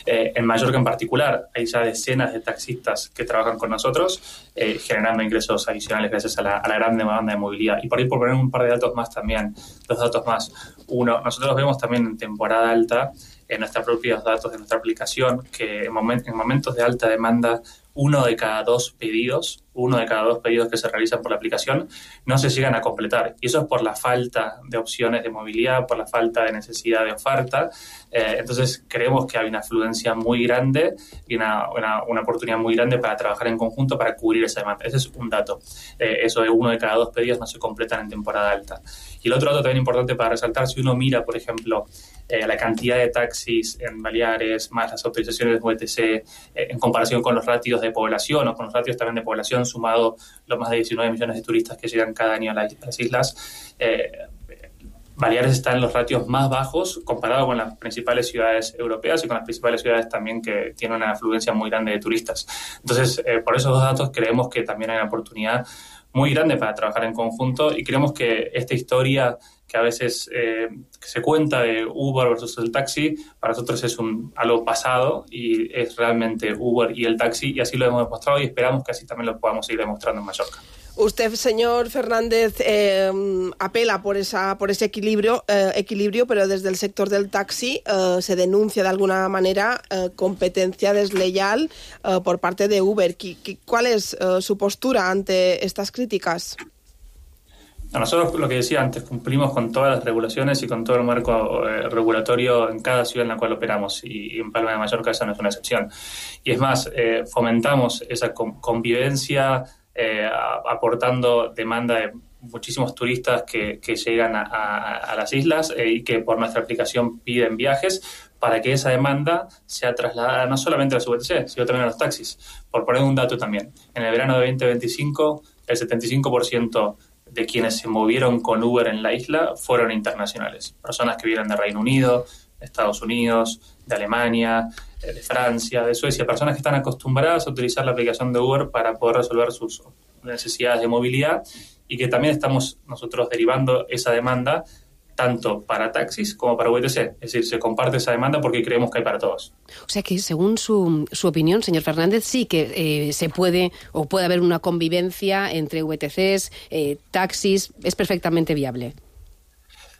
Eh, en Mallorca en particular hay ya decenas de taxistas que trabajan con nosotros, eh, generando ingresos adicionales gracias a la, a la gran demanda de movilidad. Y por ahí por poner un par de datos más también, dos datos más. Uno, nosotros vemos también en temporada alta, en nuestros propios datos de nuestra aplicación, que en, moment, en momentos de alta demanda, uno de cada dos pedidos, uno de cada dos pedidos que se realizan por la aplicación no se llegan a completar. Y eso es por la falta de opciones de movilidad, por la falta de necesidad de oferta. Eh, entonces creemos que hay una afluencia muy grande y una, una, una oportunidad muy grande para trabajar en conjunto para cubrir esa demanda. Ese es un dato. Eh, eso de uno de cada dos pedidos no se completan en temporada alta. Y el otro dato también importante para resaltar, si uno mira, por ejemplo, eh, la cantidad de taxis en Baleares, más las autorizaciones de V T C, eh, en comparación con los ratios de población o con los ratios también de población, sumado los más de diecinueve millones de turistas que llegan cada año a las, a las islas, eh, Baleares está en los ratios más bajos comparado con las principales ciudades europeas y con las principales ciudades también que tienen una afluencia muy grande de turistas. Entonces, eh, por esos dos datos creemos que también hay una oportunidad muy grande para trabajar en conjunto y creemos que esta historia que a veces eh, se cuenta de Uber versus el taxi, para nosotros es un, algo pasado y es realmente Uber y el taxi, y así lo hemos demostrado y esperamos que así también lo podamos seguir demostrando en Mallorca. Usted, señor Fernández, eh, apela por esa por ese equilibrio, eh, equilibrio, pero desde el sector del taxi eh, se denuncia de alguna manera eh, competencia desleal eh, por parte de Uber. ¿Cuál es eh, su postura ante estas críticas? Nosotros, lo que decía antes, cumplimos con todas las regulaciones y con todo el marco eh, regulatorio en cada ciudad en la cual operamos, y, y en Palma de Mallorca esa no es una excepción. Y es más, eh, fomentamos esa con, convivencia, eh, aportando demanda de muchísimos turistas que, que llegan a, a, a las islas eh, y que por nuestra aplicación piden viajes, para que esa demanda sea trasladada no solamente a las V T C, sino también a los taxis. Por poner un dato también, en el verano de veinte veinticinco, el setenta y cinco por ciento de quienes se movieron con Uber en la isla fueron internacionales. Personas que vienen de Reino Unido, de Estados Unidos, de Alemania, de Francia, de Suecia. Personas que están acostumbradas a utilizar la aplicación de Uber para poder resolver sus necesidades de movilidad, y que también estamos nosotros derivando esa demanda tanto para taxis como para V T C. Es decir, se comparte esa demanda porque creemos que hay para todos. O sea que, según su, su opinión, señor Fernández, sí que eh, se puede o puede haber una convivencia entre V T Cs, eh, taxis, es perfectamente viable.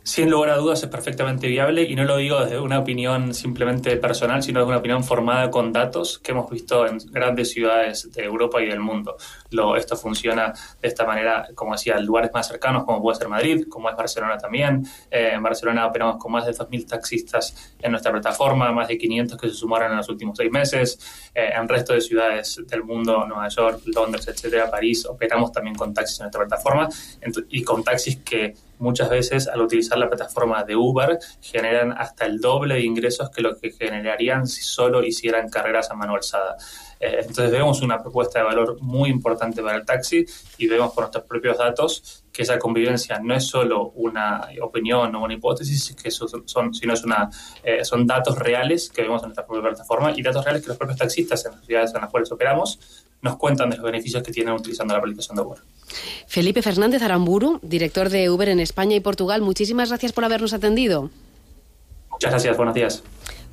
Sin lugar a dudas es perfectamente viable, y no lo digo desde una opinión simplemente personal, sino desde una opinión formada con datos que hemos visto en grandes ciudades de Europa y del mundo. Lo, esto funciona de esta manera, como decía, en lugares más cercanos, como puede ser Madrid, como es Barcelona también. Eh, en Barcelona operamos con más de dos mil taxistas en nuestra plataforma, más de quinientos que se sumaron en los últimos seis meses. Eh, en el resto de ciudades del mundo, Nueva York, Londres, etcétera, París, operamos también con taxis en nuestra plataforma, y con taxis que muchas veces, al utilizar la plataforma de Uber, generan hasta el doble de ingresos que lo que generarían si solo hicieran carreras a mano alzada. Eh, entonces vemos una propuesta de valor muy importante para el taxi, y vemos por nuestros propios datos que esa convivencia no es solo una opinión o una hipótesis, que son, son, sino es una, eh, son datos reales que vemos en nuestra propia plataforma, y datos reales que los propios taxistas en las ciudades en las cuales operamos nos cuentan de los beneficios que tienen utilizando la aplicación de Uber. Felipe Fernández Aramburu, director de Uber en España y Portugal, muchísimas gracias por habernos atendido. Muchas gracias, buenos días.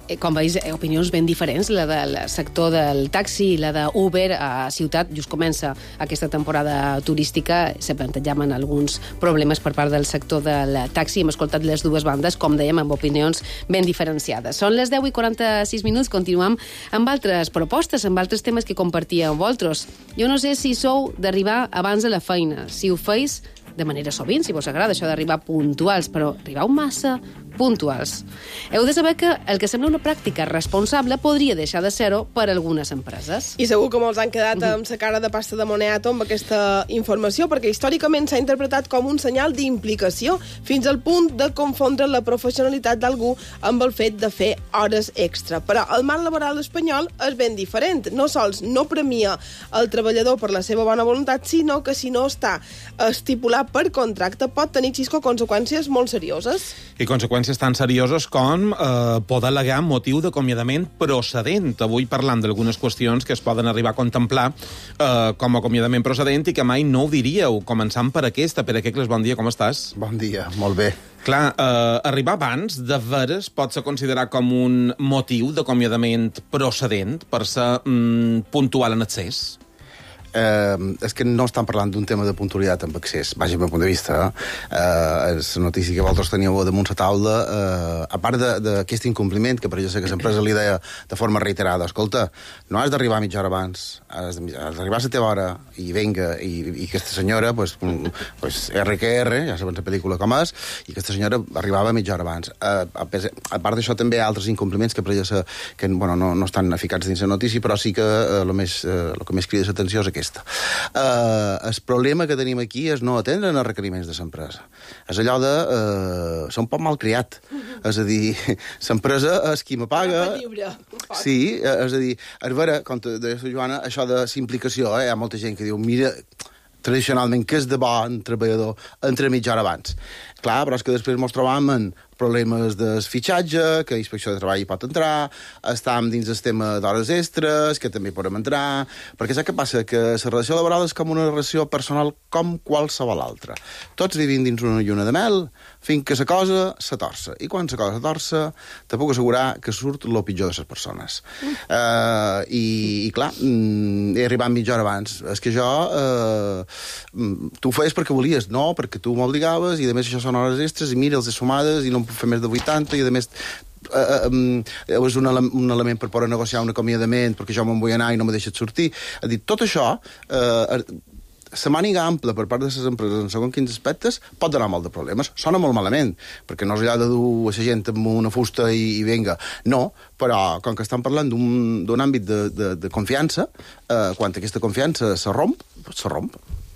Eh, com veus, eh, opinions ben diferents, la del sector del taxi i la d'Uber a Ciutat. Just comença aquesta temporada turística, se plantejaven alguns problemes per part del sector del taxi. Hem escoltat les dues bandes, com dèiem, amb opinions ben diferenciades. Són les deu i quaranta-sis minuts, continuem amb altres propostes, amb altres temes que compartíem amb vosaltres. Jo no sé si sou d'arribar abans a la feina, si ho feis de manera sovint, si vos agrada això d'arribar puntuals, però arribau massa, puntuals. Heu de saber que el que sembla una pràctica responsable podria deixar de ser-ho per algunes empreses. I segur que molts han quedat amb la cara de pasta de moniato amb aquesta informació, perquè històricament s'ha interpretat com un senyal d'implicació, fins al punt de confondre la professionalitat d'algú amb el fet de fer hores extra. Però el marc laboral espanyol és ben diferent. No sols no premia el treballador per la seva bona voluntat, sinó que si no està estipulat per contracte pot tenir, Xisco, conseqüències molt serioses. I conseqüències tan serioses com eh, poder al·legar motiu d'acomiadament procedent. Avui parlant d'algunes qüestions que es poden arribar a contemplar eh, com a acomiadament procedent i que mai no ho diríeu. Començant per aquesta. Pere Quecles, bon dia, com estàs? Bon dia, molt bé. Clar, eh, arribar abans, de veres, pot ser considerat com un motiu d'acomiadament procedent per ser mm, puntual en excés? Eh, és que no estan parlant d'un tema de puntualitat amb accés, vaja, pel punt de vista. Eh, és la notícia que vosaltres teníeu damunt la taula, eh, a part d'aquest incompliment, que per jo sé que l'empresa li deia de forma reiterada, escolta, no has d'arribar mitja hora abans, has d'arribar a la teva hora, i venga, i, i aquesta senyora, pues, pues, R que R, ja sabem la pel·lícula com és, i aquesta senyora arribava mitja hora abans. Eh, a, a part d'això, també hi ha altres incompliments que per jo sé que bueno, no, no estan eficats dins la notícia, però sí que eh, el, més, eh, el que més crida l'atenció és aquest. Uh, el problema que tenim aquí és no atendre els requeriments de l'empresa. És allò de... Uh, ser un poc malcriat. Uh-huh. És a dir, l'empresa és qui me paga... Sí, és a dir, és vera, com te deia la Joana, això de simplificació, eh? Hi ha molta gent que diu, mira, tradicionalment, que és de bon treballador entre mitja hora abans. Clar, però és que després ens trobam en problemes de fitxatge, que Inspecció de Treball hi pot entrar, estem dins el tema d'hores extres, que també podem entrar, perquè saps què passa? Que la relació laboral és com una relació personal com qualsevol altra. Tots vivim dins una lluna de mel, fins que la cosa se torça. I quan la cosa se torça, te puc assegurar que surt el pitjor de les persones. Mm. Uh, i, I clar, mm, he arribat mitja hora abans. És que jo... Uh, tu ho feies perquè volies, no, perquè tu m'obligaves, i a més això són hores extres, i mira, els he sumades, i no em puc fer més de vuitanta, i a més... Uh, um, és un, ele un element per poder negociar un acomiadament perquè jo me'n vull anar i no me deixes sortir. És a dir, tot això, uh, la màniga ampla per part de les empreses en segons quins aspectes pot donar molt de problemes. Sona molt malament, perquè no és allà de dur a la gent amb una fusta i, i venga. No, però com que estan parlant d'un àmbit de, de, de confiança, uh, quan aquesta confiança se romp, se romp.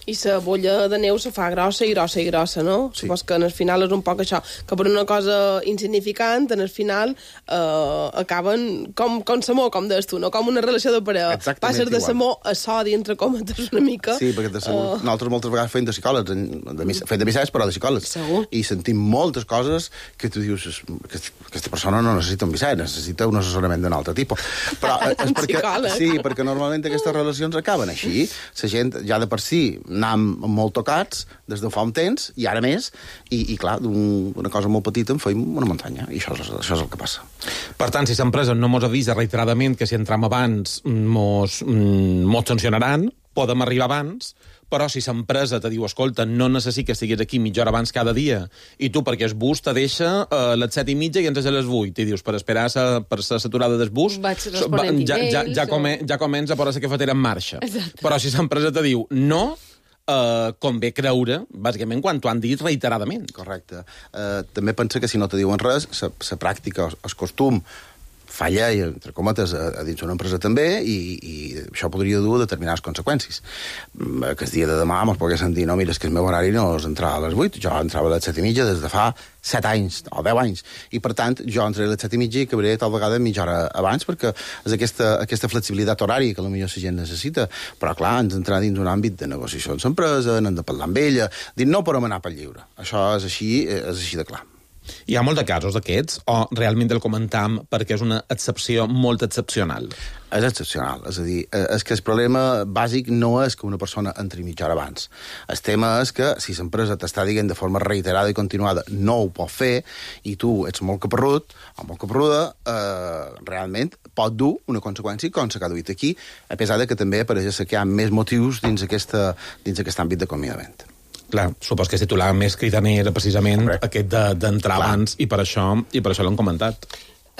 I la bolla de neu se fa grossa i grossa i grossa, no? Sí. Supos que en el final és un poc això, que per una cosa insignificant, en el final eh, acaben com, com samó, com deies tu, no? Com una relació de parella. Passer de samó a sodi, entre cometes, una mica. Sí, perquè de samó, uh... nosaltres moltes vegades fem de psicòlegs, de, fem de missatges, però de psicòlegs. Segur. I sentim moltes coses que tu dius, que aquesta persona no necessita un missatge, necessita un assessorament d'un altre tipus. Però és perquè, sí, perquè normalment aquestes relacions acaben així. La gent ja de per si anàvem molt tocats des de fa un temps, i ara més, i, i clar, d'una un, cosa molt petita en feim una muntanya, i això és, això és el que passa. Per tant, si l'empresa no mos avisa reiteradament que si entram abans mos, mos sancionaran, podem arribar abans, però si l'empresa te diu, escolta, no necessito que estiguis aquí mitja hora abans cada dia, i tu, perquè el bus te deixa a les set i mitja i entres a les vuit, i dius, per esperar sa, per la saturada del bus, ja, ja, ja, come, ja comença a posar la cafetera en marxa. Exacte. Però si l'empresa te diu, no, Uh, convé creure, bàsicament, quan t'ho han dit reiteradament. Correcte. Uh, també pensa que si no te diuen res, la pràctica, el costum, fa llei, entre cometes, a, a dins una empresa també, i, i això podria dur determinades conseqüències. Que el dia de demà mos poguessin dir, no, mira, és que el meu horari no és entrar a les vuit, jo entrava a les set i mitja des de fa set anys, o deu anys, i per tant jo entraré a les set i mitja i acabaré tal vegada mitja hora abans, perquè és aquesta, aquesta flexibilitat horària que potser la gent necessita, però clar, ens entrar dins un àmbit de negociació amb l'empresa, n'hem de parlar amb ella, dir, no podem anar pel lliure. Això és així, és així de clar. Hi ha molts de casos d'aquests, o realment el comentam perquè és una excepció molt excepcional? És excepcional, és a dir, és que el problema bàsic no és que una persona entri mitja hora abans. El tema és que si l'empresa t'està dient de forma reiterada i continuada no ho pot fer, i tu ets molt caparrut o molt caparruda, eh, realment pot dur una conseqüència com s'ha duit aquí, a pesar de que també pareix que hi ha més motius dins, aquesta, dins aquest àmbit d'acomiadament. Clar, supos que es titular més cridaner era precisament Correcte. Aquest d'entrar de, abans, i per això i per això l'han comentat.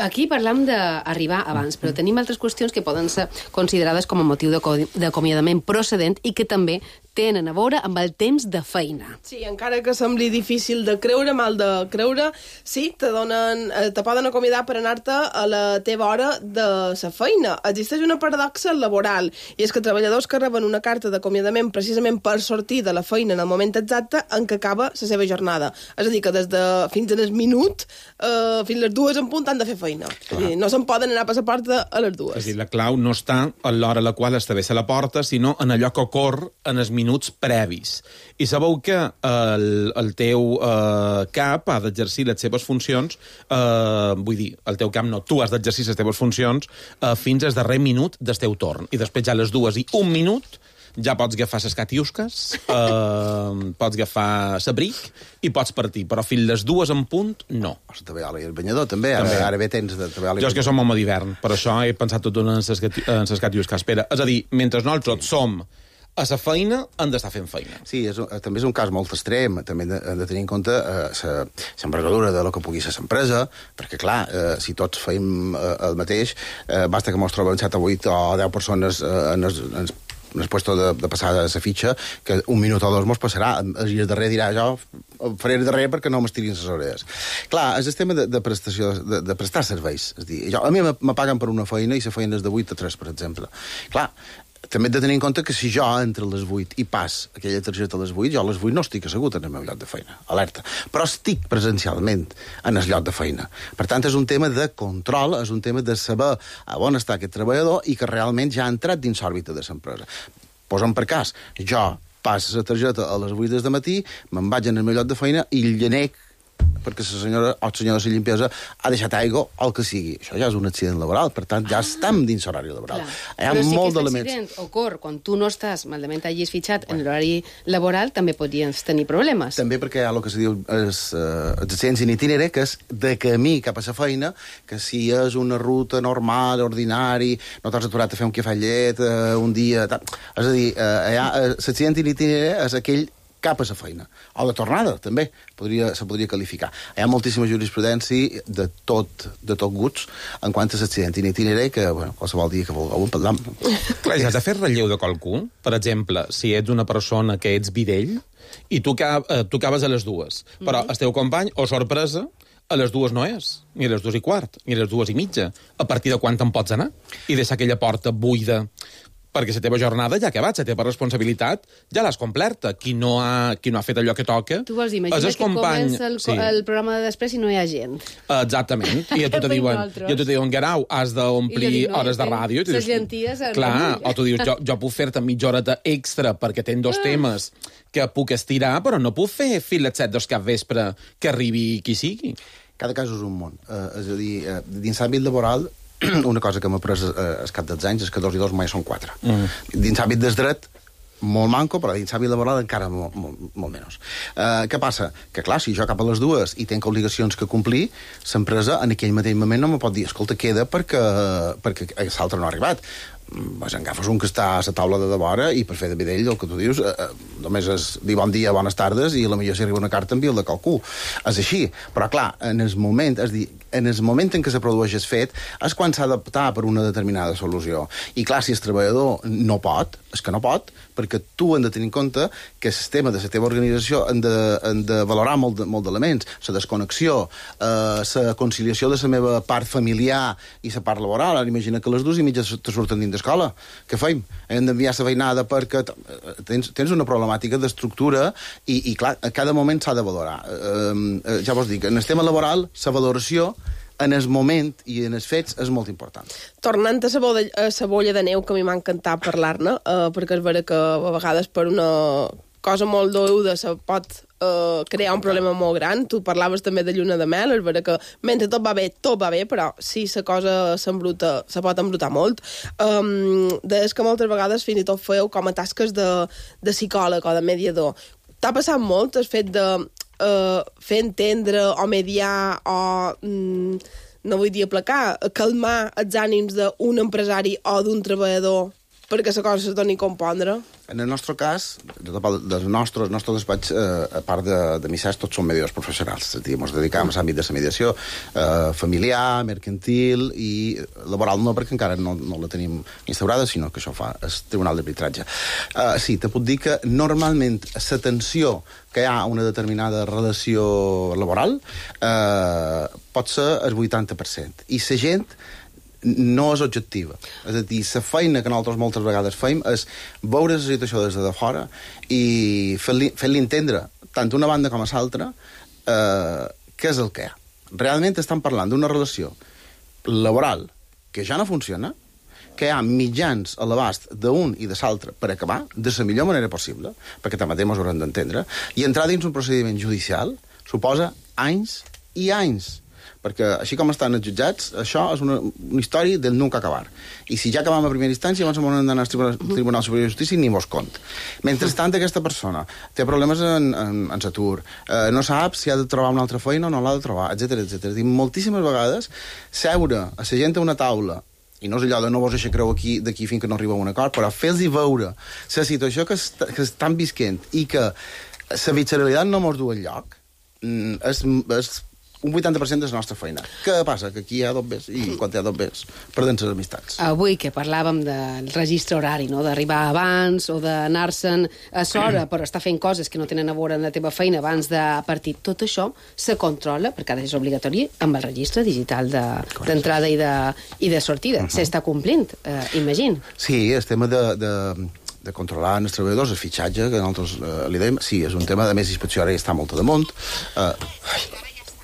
Aquí parlam d'arribar abans, però tenim altres qüestions que poden ser considerades com a motiu d'acomiadament procedent i que també tenen a veure amb el temps de feina. Sí, encara que sembli difícil de creure, mal de creure, sí, te, donen, te poden acomiadar per anar-te a la teva hora de la feina. Existeix una paradoxa laboral, i és que treballadors que reben una carta d'acomiadament precisament per sortir de la feina en el moment exacte en què acaba la seva jornada. És a dir, que des de fins en el minut, eh, fins les dues en punt, han de fer feina. És a dir, no se'n poden anar a passar porta a les dues. És a dir, la clau no està a l'hora a la qual estableix la porta, sinó en allò que ocorre en els minuts previs. I sabeu que el, el teu eh, cap ha d'exercir les seves funcions, eh, vull dir, el teu cap no, tu has d'exercir les teves funcions eh, fins al darrer minut del teu torn. I després ja a les dues i un minut ja pots agafar les catiusques, eh, pots agafar l'abric i pots partir, però fins les dues en punt, no. Pots treballar el banyador, també. Ara, també. Ara bé tens de treballar... Jo és que som home d'hivern, per això he pensat tot en les catiusques. Espera, és a dir, mentre nosaltres som a la feina, han d'estar fent feina. Sí, és, també és un cas molt extrem. També hem de, hem de tenir en compte eh, l'envergadura de lo que pugui ser l'empresa, perquè, clar, eh, si tots feim eh, el mateix, eh, basta que mos trobem set o vuit o deu persones eh, en els... En en el puesto de, de passar a la fitxa, que un minut o dos mos passarà. I el darrer dirà, jo faré el darrer perquè no m'estirin les orelles. Clar, és el tema de, de prestació, de, de prestar serveis. És dir, jo, a mi me paguen per una feina i la feina és de vuit a tres, per exemple. Clar, també hem de tenir en compte que si jo entre les vuit i pas aquella targeta a les vuit, jo a les vuit no estic assegut en el meu lloc de feina, alerta. Però estic presencialment en el lloc de feina. Per tant, és un tema de control, és un tema de saber a on està aquest treballador i que realment ja ha entrat dins l'òrbita de l'empresa. Posa'm per cas, jo passo la targeta a les vuit del matí, me'n vaig en el meu lloc de feina i el llenec perquè la senyora o el senyor de la limpiesa ha deixat aigua o el que sigui. Això ja és un accident laboral, per tant, ja ah. estem dins l'horari laboral. Clar. Hi ha Però si molt aquest d'elements. accident ocorre quan tu no estàs, malament hagis fitxat en l'horari laboral, també podries tenir problemes. També perquè hi ha el que se diu els, uh, els accidents in itinere, que és de camí cap a la feina, que si és una ruta normal, ordinari, no t'has aturat a fer un cafallet uh, un dia... Tal. És a dir, uh, hi ha, uh, l'accident in itinere és aquell cap a la feina. O de tornada, també, podria, se podria qualificar. Hi ha moltíssima jurisprudència de tot, de tot guts en quant a l'accident in itinere, que, bueno, qualsevol dia que vulgueu en parlam. Clar, has de fer relleu de qualcú. Per exemple, si ets una persona que ets videll i tu, eh, tu acabes a les dues, però mm-hmm. el teu company, o sorpresa, a les dues no és, ni a les dues i quart, ni a les dues i mitja. A partir de quan te'n pots anar? I deixar aquella porta buida perquè la teva jornada ja ha acabat, la teva responsabilitat ja l'has complerta. Qui no ha, qui no ha fet allò que toca... Tu vols dir, imagina que company... comença el, sí. el programa de després i no hi ha gent. Exactament. I a tu te diuen, i a tu te diuen, Guerau, has d'omplir dic, no, hores de ràdio. Les genties... Clar, o tu dius, jo, jo puc fer-te mitja horeta extra perquè tens dos ah. temes que puc estirar, però no puc fer fins les set del cap vespre que arribi qui sigui. Cada cas és un món. Uh, és a dir, uh, dins l'àmbit laboral, una cosa que m'ha pres eh, al cap dels anys és que dos i dos mai són quatre. Mm. Dins l'àmbit del dret, molt manco, però dins l'àmbit laboral encara molt, molt, molt menys. Uh, què passa? Que, clar, si jo cap a les dues i tenc obligacions que complir, l'empresa en aquell mateix moment no me pot dir escolta, queda perquè, perquè l'altre no ha arribat. Pues agafes un que està a la taula de devora i per fer de vedell, el que tu dius, eh, només és dir bon dia, bones tardes i a la millor si arriba una carta envia el de qualcú. És així. Però, clar, en el moment, és dir, en el moment en què se produeix el fet és quan s'ha d'optar per una determinada solució. I, clar, si el treballador no pot, és que no pot, perquè tu hem de tenir en compte que el sistema de la teva organització hem de, hem de valorar molt, molt d'elements. La desconnexió, eh, la conciliació de la meva part familiar i la part laboral. Ara imagina que les dues i mitja te surten dins d'escola. Què feim? Hem d'enviar la feinada perquè tens, tens una problemàtica d'estructura i, i, clar, a cada moment s'ha de valorar. Eh, ja vos dic, en el tema laboral, la valoració en el moment i en els fets és molt important. Tornant a la bolla, a la bolla de neu, que a mi m'ha encantat parlar-ne, eh, perquè és vera que a vegades per una cosa molt doeuda se pot eh, crear un problema molt gran. Tu parlaves també de lluna de mel, és vera que mentre tot va bé, tot va bé, però si la cosa s'embruta, se pot embrutar molt. Um, Deies que moltes vegades fins i tot feu com a tasques de, de psicòleg o de mediador. T'ha passat molt el fet de Uh, fer entendre o mediar o, mm, no vull dir aplacar, calmar els ànims d'un empresari o d'un treballador perquè la cosa se doni a compondre. En el nostre cas, dels nostres, el nostre despatx, eh, a part de, de missatges, tots són mediadors professionals. És a dir, ens dedicam a l'àmbit de la mediació eh, familiar, mercantil i laboral no, perquè encara no, no la tenim instaurada, sinó que això fa el Tribunal d'Arbitratge. Eh, sí, te puc dir que normalment la tensió que hi ha una determinada relació laboral eh, pot ser el vuitanta per cent. I la gent no és objectiva. És a dir, la feina que nosaltres moltes vegades fem és veure la situació des de fora i fer-li fer entendre, tant d'una banda com a l'altra, eh, què és el que hi ha. Realment estan parlant d'una relació laboral que ja no funciona, que hi ha mitjans a l'abast d'un i de l'altre per acabar de la millor manera possible, perquè també ens ho haurem d'entendre, i entrar dins un procediment judicial suposa anys i anys, perquè així com estan els jutjats, això és una, una història del nunca acabar. I si ja acabam a primera instància, llavors hem d'anar al Tribunal, Tribunal Superior de Justícia i ni vos compte. Mentrestant, aquesta persona té problemes en, en, en l'atur, eh, no sap si ha de trobar una altra feina o no l'ha de trobar, etcètera, etcètera. I moltíssimes vegades, seure a la gent a una taula, i no és allò de no vos deixar creu aquí d'aquí fins que no arriba a un acord, però fer-los veure la situació que, est que estan visquent i que la visceralitat no mos du enlloc, és, és un vuitanta per cent de la nostra feina. Què passa? Que aquí hi ha dobbers i quan hi ha dobbers perden les amistats. Avui que parlàvem del registre horari, no? D'arribar abans o d'anar-se'n a l'hora per estar fent coses que no tenen a veure amb la teva feina abans de partir, tot això se controla, perquè ara és obligatori, amb el registre digital d'entrada de, i, de, i de sortida. Uh -huh. S'està complint, eh, imagino. Sí, el tema de... de... de controlar els treballadors, el fitxatge, que nosaltres eh, li dèiem, sí, és un tema, de més inspecció ara ja està molt damunt. Eh,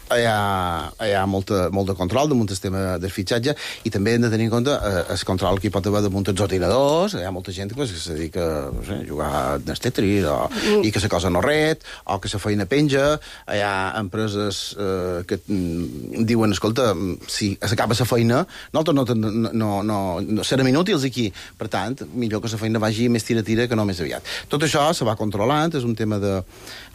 hi ha, hi ha molta, molt de control damunt el tema del fitxatge i també hem de tenir en compte eh, el control que hi pot haver damunt els ordinadors. Hi ha molta gent pues, que se dedica no sé, a jugar al Tetris o, mm. i que la cosa no ret o que la feina penja. Hi ha empreses eh, que mm, diuen, escolta, si s'acaba la feina nosaltres no, no, no, no, no serem inútils aquí, per tant millor que la feina vagi més tira-tira que no més aviat. Tot això se va controlant, és un tema de...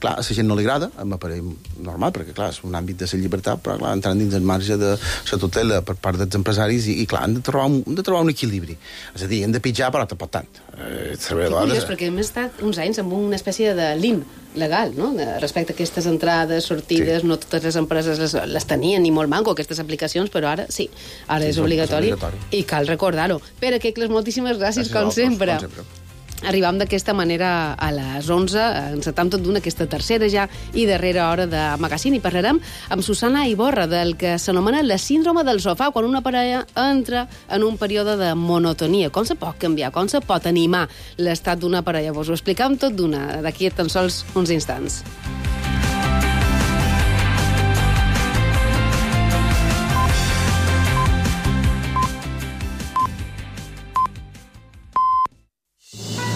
Clar, a la gent no li agrada, m'apareix normal, perquè clar, és un àmbit de la llibertat, però clar, entrant dins el marge de la tutela per part dels empresaris i, i clar, hem de, trobar un, hem de trobar un equilibri. És a dir, hem de pitjar, però tampoc tant. Eh, que curiós, perquè hem estat uns anys amb una espècie de lim legal, no? Respecte a aquestes entrades, sortides, sí. No totes les empreses les, les tenien, ni molt manco, aquestes aplicacions, però ara sí, ara sí, és, obligatori, és obligatori i cal recordar-ho. Pere Quecles, moltíssimes gràcies, gràcies com, sempre. com sempre. Arribam d'aquesta manera a les onze, encetam tot d'una aquesta tercera ja i darrera hora de magazine i parlarem amb Susana Iborra del que s'anomena la síndrome del sofà, quan una parella entra en un període de monotonia. Com se pot canviar? Com se pot animar l'estat d'una parella? Vos ho explicam tot d'una d'aquí a tan sols uns instants.